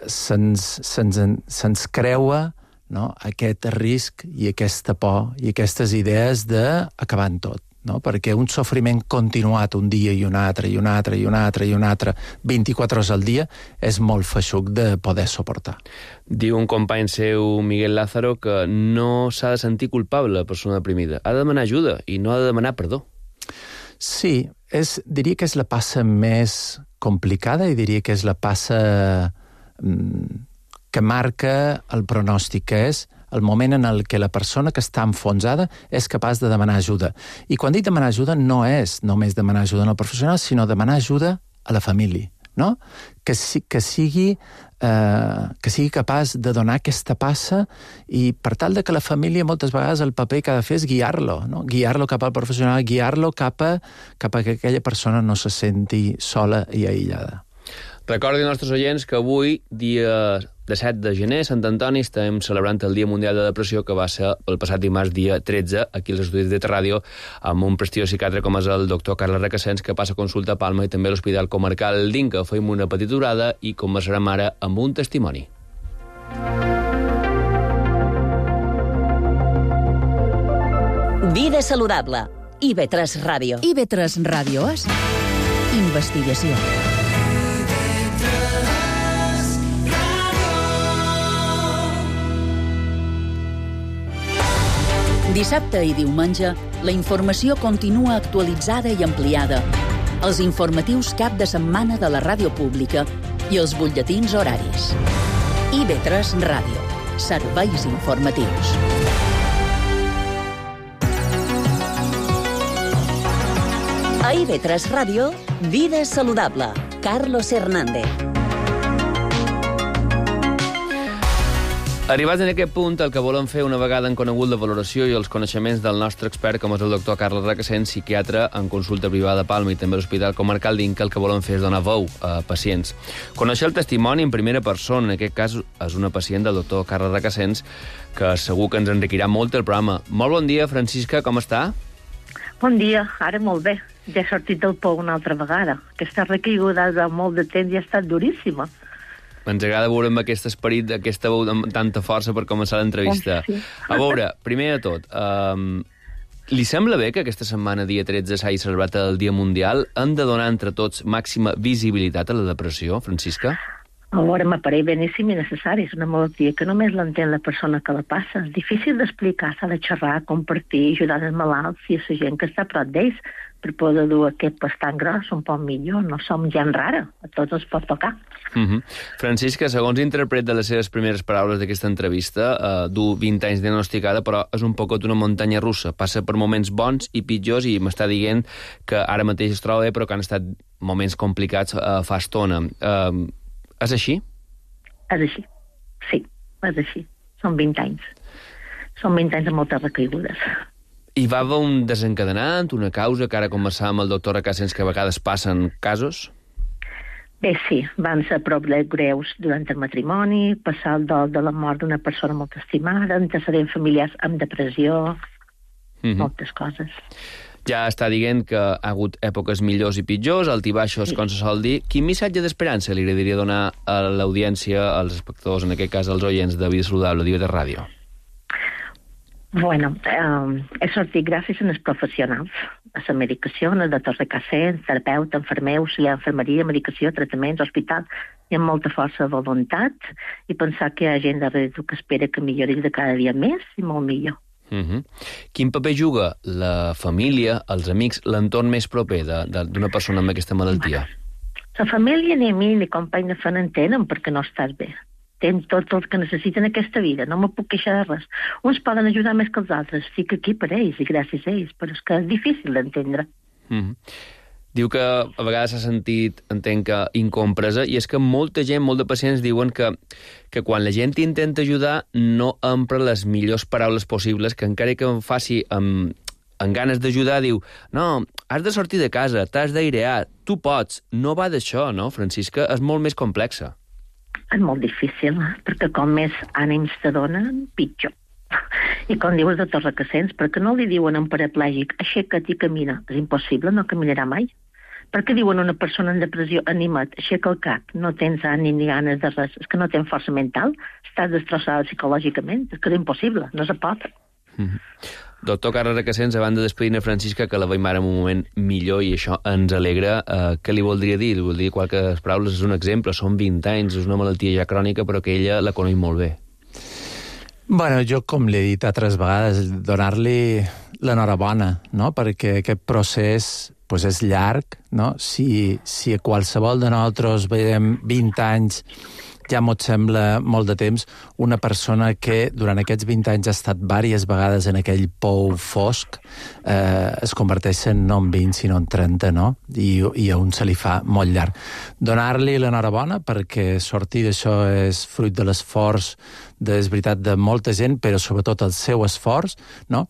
se'ns, se'ns, se'ns creua, no?, aquest risc i aquesta por i aquestes idees d'acabar en tot. No? Perquè un sofriment continuat un dia i un altre, i un altre, i un altre, i un altre, vint-i-quatre hores al dia, és molt feixuc de poder suportar. Diu un company seu, Miguel Lázaro, que no s'ha de sentir culpable la persona deprimida. Ha de demanar ajuda i no ha de demanar perdó. Sí, és, diria que és la passa més complicada i diria que és la passa mm, que marca el pronòstic, que és el moment en el que la persona que està enfonsada és capaç de demanar ajuda. I quan dic demanar ajuda no és només demanar ajuda al professional, sinó demanar ajuda a la família, no? Que, que, sigui, eh, que sigui capaç de donar aquesta passa i per tal de que la família moltes vegades el paper que ha de fer és guiar-lo, no? Guiar-lo cap al professional, guiar-lo cap a, cap a que aquella persona no se senti sola i aïllada. Recordi als nostres oients que avui, dia disset de gener, Sant Antoni, estem celebrant el Dia Mundial de la Depressió, que va ser el passat dimarts, dia tretze, aquí als estudis de T-Ràdio, amb un prestigiós psiquiatre com és el doctor Carles Recasens, que passa consulta a Palma i també a l'Hospital Comarcal d'Inca. Fem una petita durada i conversarem ara amb un testimoni. Vida saludable. I V tres Ràdio. I V tres Ràdio és investigació. Dissabte i diumenge, la informació continua actualitzada i ampliada. Els informatius cap de setmana de la ràdio pública i els butlletins horaris. I V tres Ràdio. Serveis informatius. A I V tres Ràdio, Vida saludable. Carlos Hernández. Arribats en aquest punt, el que volem fer una vegada en conegut la valoració i els coneixements del nostre expert, com és el doctor Carles Recasens, psiquiatre en consulta privada a Palma i també a l'Hospital Comarcal d'Inca, el que volem fer és donar veu a pacients. Conèixer el testimoni en primera persona, en aquest cas és una pacient del doctor Carles Recasens, que segur que ens enriquirà molt el programa. Molt bon dia, Francisca, com està? Bon dia, ara molt bé. Ja he sortit del pou una altra vegada. Aquesta recaiguda de molt de temps ja ha estat duríssima. Ens agrada veure amb aquest esperit, aquesta veu amb tanta força per començar l'entrevista. Oh, sí. A veure, primer de tot, um, Li sembla bé que aquesta setmana, dia tretze, s'hagi celebrat el Dia Mundial? Hem de donar entre tots màxima visibilitat a la depressió, Francisca? A veure, m'apareix beníssim i necessari. És una malaltia que només l'entén la persona que la passa. És difícil d'explicar, s'ha de xerrar, compartir, ajudar els malalts i a la gent que està a prop d'ells per poder dur aquest pas tan gros un poc millor. No som gent rara, a tots ens pot tocar. Uh-huh. Francisca, segons interpret de les seves primeres paraules d'aquesta entrevista, eh, du vint anys diagnosticada, però és un poquet una muntanya russa. Passa per moments bons i pitjors i m'està dient que ara mateix es troba bé, però que han estat moments complicats eh, fa estona. Eh, és així? És així, sí, és així. Són vint anys. Són vint anys de moltes recaigudes. Hi va haver un desencadenant, una causa, que ara conversàvem amb el doctor Recasens, que a vegades passen casos? Bé, sí, van ser problemes greus durant el matrimoni, passar el dol de la mort d'una persona molt estimada, antecedents familiars amb depressió, mm-hmm. moltes coses. Ja està dient que ha hagut èpoques millors i pitjors, altibaixos, sí. com se sol dir. Quin missatge d'esperança li agradaria donar a l'audiència, als espectadors, en aquest cas als oients de Vida Saludable, d'I V tres Ràdio? Bueno, eh, he sortit gràcies als professionals, a la medicació, al doctor Recasens, terapeuta, infermer, auxiliar d'infermeria, medicació, tractaments, hospital, i amb molta força de voluntat, i pensar que hi ha gent darrere tu que espera que millori de cada dia més i molt millor. Uh-huh. Quin paper juga la família, els amics, l'entorn més proper d'una persona amb aquesta malaltia? La família ni amics ni companys de feina entenen perquè no estàs bé. Tens tot el que necessiten en aquesta vida, no me puc queixar de res. Uns poden ajudar més que els altres, estic aquí per ells i gràcies a ells, però és que és difícil d'entendre. Uh-huh. Diu que a vegades s'ha sentit, entenc que, incompresa, i és que molta gent, molt de pacients diuen que, que quan la gent intenta ajudar no empra les millors paraules possibles, que encara que em faci amb, amb ganes d'ajudar, diu, no, has de sortir de casa, t'has d'airear, tu pots. No va d'això, no, Francisca? És molt més complexa. És molt difícil, perquè com més ànims te donen, pitjor. I com diu el doctor Recasens, perquè no li diuen a un paraplègic, aixeca't i camina. És impossible, no caminarà mai. Per què diuen a una persona en depressió, anima't, aixeca el cap, no tens ànim ni ganes de res, és que no tens força mental, estàs destrossada psicològicament, és que és impossible, no se pot. Mm-hmm. Doctor Carles Recasens, abans de despedir-ne Francisca, que la veiem ara en un moment millor i això ens alegra, eh, què li voldria dir? Li voldria dir qualques paraules, és un exemple, són vint anys, és una malaltia ja crònica, però que ella la coneix molt bé. Bueno, jo, com l'he dit altres vegades, donar-li l'enhorabona, no? Perquè aquest procés pues, és llarg, no? Si, si a qualsevol de nosaltres veiem vint anys ja m'ho sembla molt de temps, una persona que durant aquests vint anys ha estat diverses vegades en aquell pou fosc eh, es converteix en no en vint, sinó en trenta, no? I, i a un se li fa molt llarg. Donar-li l'enhorabona perquè sortir d'això és fruit de l'esforç, de, és veritat, de molta gent, però sobretot el seu esforç, no?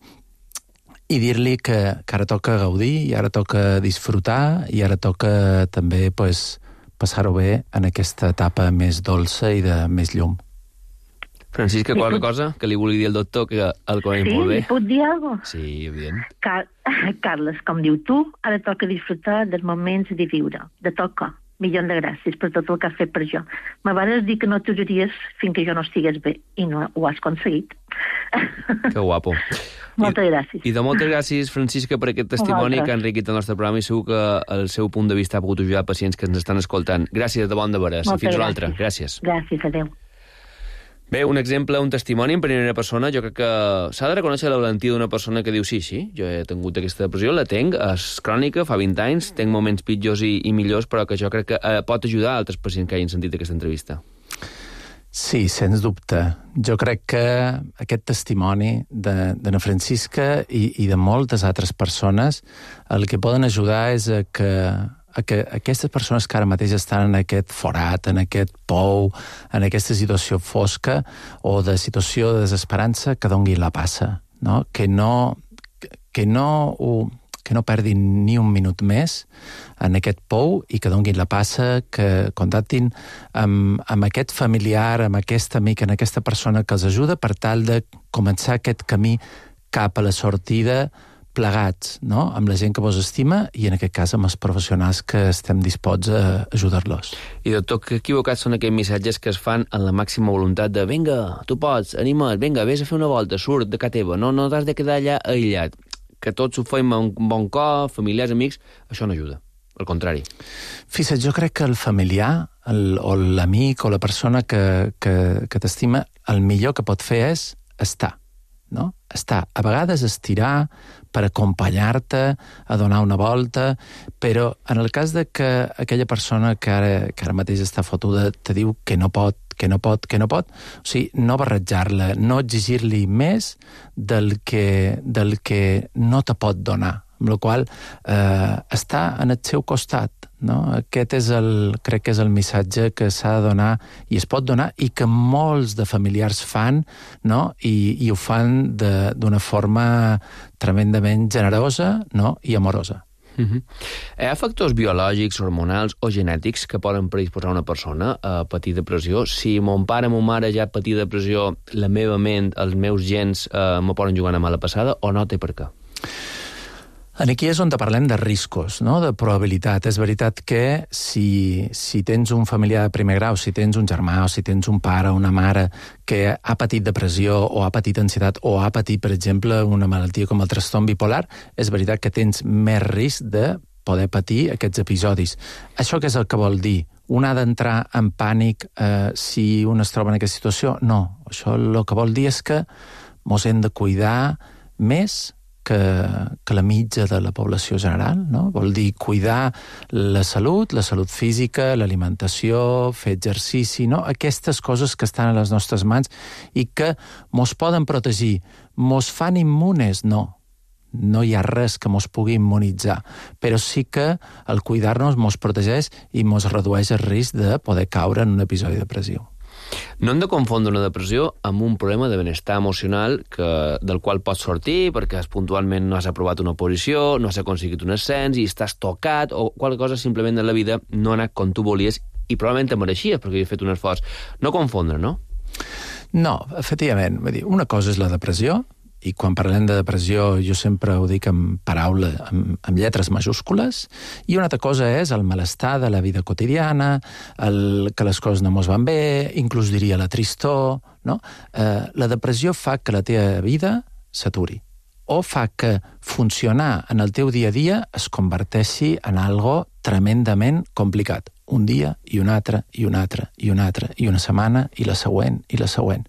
I dir-li que, que ara toca gaudir, i ara toca disfrutar, i ara toca també, pues, passar-ho bé en aquesta etapa més dolça i de més llum. Francisca, qualque cosa que li vulgui dir al doctor que el coneix sí, molt bé? Sí, li puc dir alguna cosa? Sí, evident. Car Carles, com diu tu, ara toca disfrutar dels moments de viure, de tocar. Milió de gràcies per tot el que has fet per jo. M'agradaria dir que no t'ajudaries fins que jo no estigués bé, i no ho has aconseguit. Que guapo. Moltes gràcies. I de moltes gràcies, Francisca, per aquest testimoni que ha enriquit el nostre programa i segur que el seu punt de vista ha pogut ajudar pacients que ens estan escoltant. Gràcies de bon de veres. Fins una altra. Gràcies. Gràcies, adeu. Bé, un exemple, un testimoni en primera persona, jo crec que s'ha de reconèixer la valentia d'una persona que diu sí, sí, jo he tingut aquesta depressió, la tenc, és crònica, fa vint anys, tenc moments pitjors i, i millors, però que jo crec que eh, pot ajudar a altres pacients que hagin sentit aquesta entrevista. Sí, sens dubte. Jo crec que aquest testimoni de, de na Francisca i, i de moltes altres persones el que poden ajudar és a que a que aquestes persones que ara mateix estan en aquest forat, en aquest pou, en aquesta situació fosca o de situació de desesperança, que donguin la passa, no? Que no, que no, ho, que no perdin ni un minut més en aquest pou i que donguin la passa, que contactin amb, amb aquest familiar, amb aquest amic, amb aquesta persona que els ajuda per tal de començar aquest camí cap a la sortida plegats, no? Amb la gent que vos estima i en aquest cas amb els professionals que estem disposats a ajudar-los. I doctor, que equivocats són aquells missatges que es fan en la màxima voluntat de vinga, tu pots, anima't, vinga, vés a fer una volta, surt de casa teva, no, no t'has de quedar allà aïllat. que tots ho fem amb un bon cor, familiars, amics, això no ajuda. Al contrari. Fixa't, jo crec que el familiar el, o l'amic o la persona que, que, que t'estima, el millor que pot fer és estar, no? Estar. A vegades estirar per acompanyar-te, a donar una volta, però en el cas de que aquella persona que ara, que ara mateix està fotuda te diu que no pot, que no pot, que no pot, o sigui, no barrejar-la, no exigir-li més del que, del que no te pot donar, amb la qual eh, està en el seu costat, no? Aquest és el, crec que és el missatge que s'ha de donar i es pot donar i que molts de familiars fan, no? I, i ho fan d'una forma tremendament generosa, no? I amorosa. Uh-huh. Hi ha factors biològics, hormonals o genètics que poden predisposar una persona a patir depressió? Si mon pare o mon mare ja patir depressió, la meva ment, els meus gens eh, me poden jugar una mala passada o no té per què? Aquí és on parlem de riscos, no? De probabilitat. És veritat que si, si tens un familiar de primer grau, si tens un germà o si tens un pare o una mare que ha patit depressió o ha patit ansietat o ha patit, per exemple, una malaltia com el trastorn bipolar, és veritat que tens més risc de poder patir aquests episodis. Això què és el que vol dir? Un ha d'entrar en pànic eh, si un es troba en aquesta situació? No. Això el que vol dir és que mos hem de cuidar més que, que la mitja de la població general, no? Vol dir cuidar la salut, la salut física, l'alimentació, fer exercici, no? Aquestes coses que estan a les nostres mans i que mos poden protegir. Mos fan immunes? No. No hi ha res que mos pugui immunitzar, però sí que el cuidar-nos mos protegeix i mos redueix el risc de poder caure en un episodi depressiu. No hem de confondre una depressió amb un problema de benestar emocional que, del qual pots sortir perquè puntualment no has aprovat una posició, no has aconseguit un ascens i estàs tocat o qualque cosa simplement en la vida no ha anat com tu volies i probablement te mereixies perquè havies fet un esforç. No confondre, no? No, efectivament. Vull dir, una cosa és la depressió, i quan parlem de depressió jo sempre ho dic amb paraula, amb, amb lletres majúscules, i una altra cosa és el malestar de la vida quotidiana, el, que les coses no mos van bé, inclús diria la tristor, no? Eh, la depressió fa que la teva vida s'aturi, o fa que funcionar en el teu dia a dia es converteixi en algo tremendament complicat. Un dia, i un altre, i un altre, i un altre, i una setmana, i la següent, i la següent.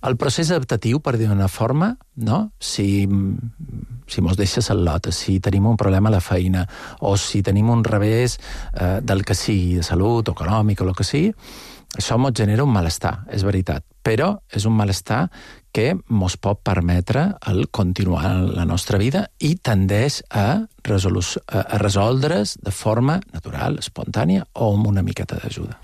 El procés adaptatiu, per dir d'una forma, no? si, si mos deixa sal·lota, si tenim un problema a la feina, o si tenim un revés eh, del que sigui, de salut, o econòmic, o el que sigui, això mos genera un malestar, és veritat. Però és un malestar que mos pot permetre el continuar la nostra vida i tendeix a, a resoldre's de forma natural, espontània, o amb una miqueta d'ajuda.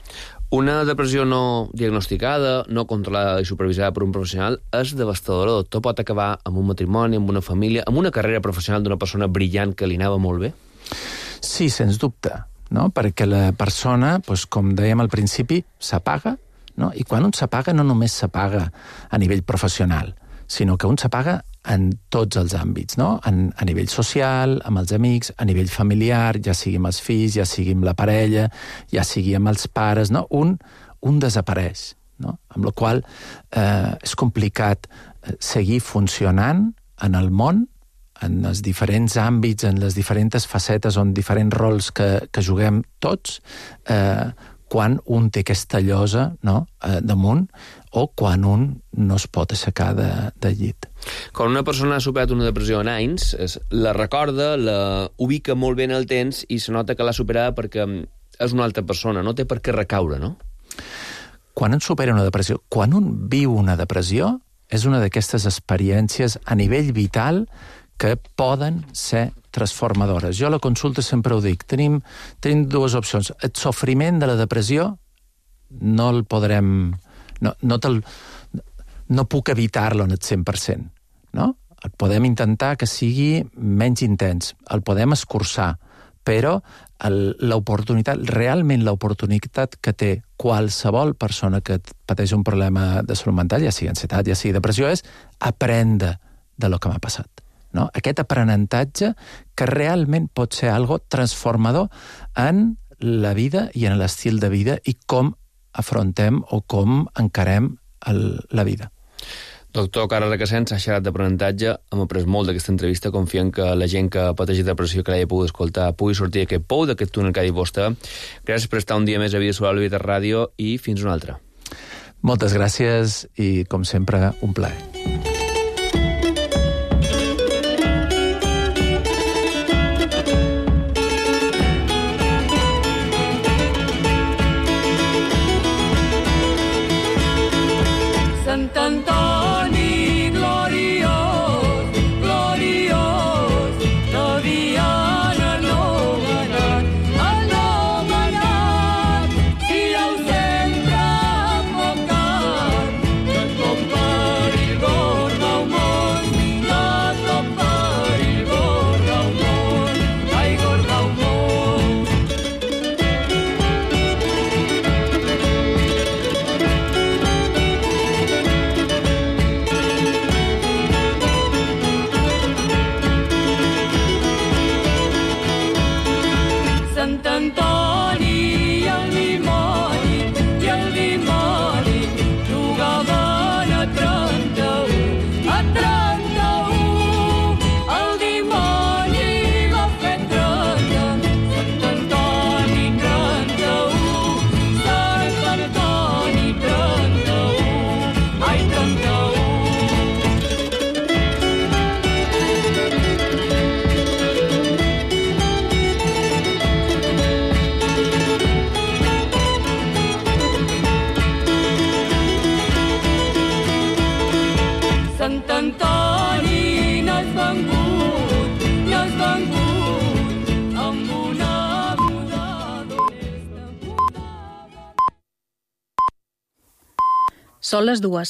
Una depressió no diagnosticada, no controlada i supervisada per un professional és devastadora. Tot pot acabar amb un matrimoni, amb una família, amb una carrera professional d'una persona brillant que li anava molt bé? Sí, sens dubte, no? Perquè la persona, doncs, com dèiem al principi, s'apaga, no? I quan un s'apaga no només s'apaga a nivell professional, sinó que un s'apaga en tots els àmbits, no? En, a nivell social, amb els amics, a nivell familiar, ja sigui amb els fills, ja sigui amb la parella, ja sigui amb els pares, no? Un, un desapareix, no? Amb la qual eh, és complicat seguir funcionant en el món, en els diferents àmbits, en les diferents facetes, on diferents rols que, que juguem tots, eh, quan un té aquesta llosa, no? eh, damunt, o quan un no es pot aixecar de, de llit. Quan una persona ha superat una depressió en anys, es, la recorda, la ubica molt bé en el temps i se nota que l'ha superada perquè és una altra persona, no té per què recaure, no? Quan un supera una depressió, quan un viu una depressió, és una d'aquestes experiències a nivell vital que poden ser transformadores. Jo a la consulta sempre ho dic, tenim, tenim dues opcions. El sofriment de la depressió no el podrem... No, no, te'l, no puc evitar-lo en el cent per cent, no? El podem intentar que sigui menys intens, el podem escurçar, però l'oportunitat, realment l'oportunitat que té qualsevol persona que pateix un problema de salut mental, ja sigui ansietat, ja sigui depressió, és aprendre de lo que m'ha passat. No? Aquest aprenentatge que realment pot ser algo transformador en la vida i en l'estil de vida i com afrontem o com encarem el, la vida. Doctor Carles Requesens ha xerrat d'aprenentatge, hem après molt d'aquesta entrevista, confiem que la gent que pateix de depressió que l'hagi pogut escoltar pugui sortir d'aquest pou, d'aquest túnel que ha dit vostè. Gràcies per estar un dia més a Vida Saludable i Vida Ràdio i fins una altra. Moltes gràcies i, com sempre, un plaer. Sant Antoni gloriós, gloriós, t'havien anomenat, anomenat, si el sempre enfocat, que tot perill gorda el món, que tot perill gorda el món, ai, gorda el món. Sant Antoni i el dimoni, i el dimoni jugaven a trenta-u, a trenta-u. El dimoni va fer trenta, Sant Antoni trenta-u, Sant Antoni trenta-u, ai, trenta-u. Sant Antoni n'has vengut, n'has vengut, amb una muda d'honesta. Són les dues.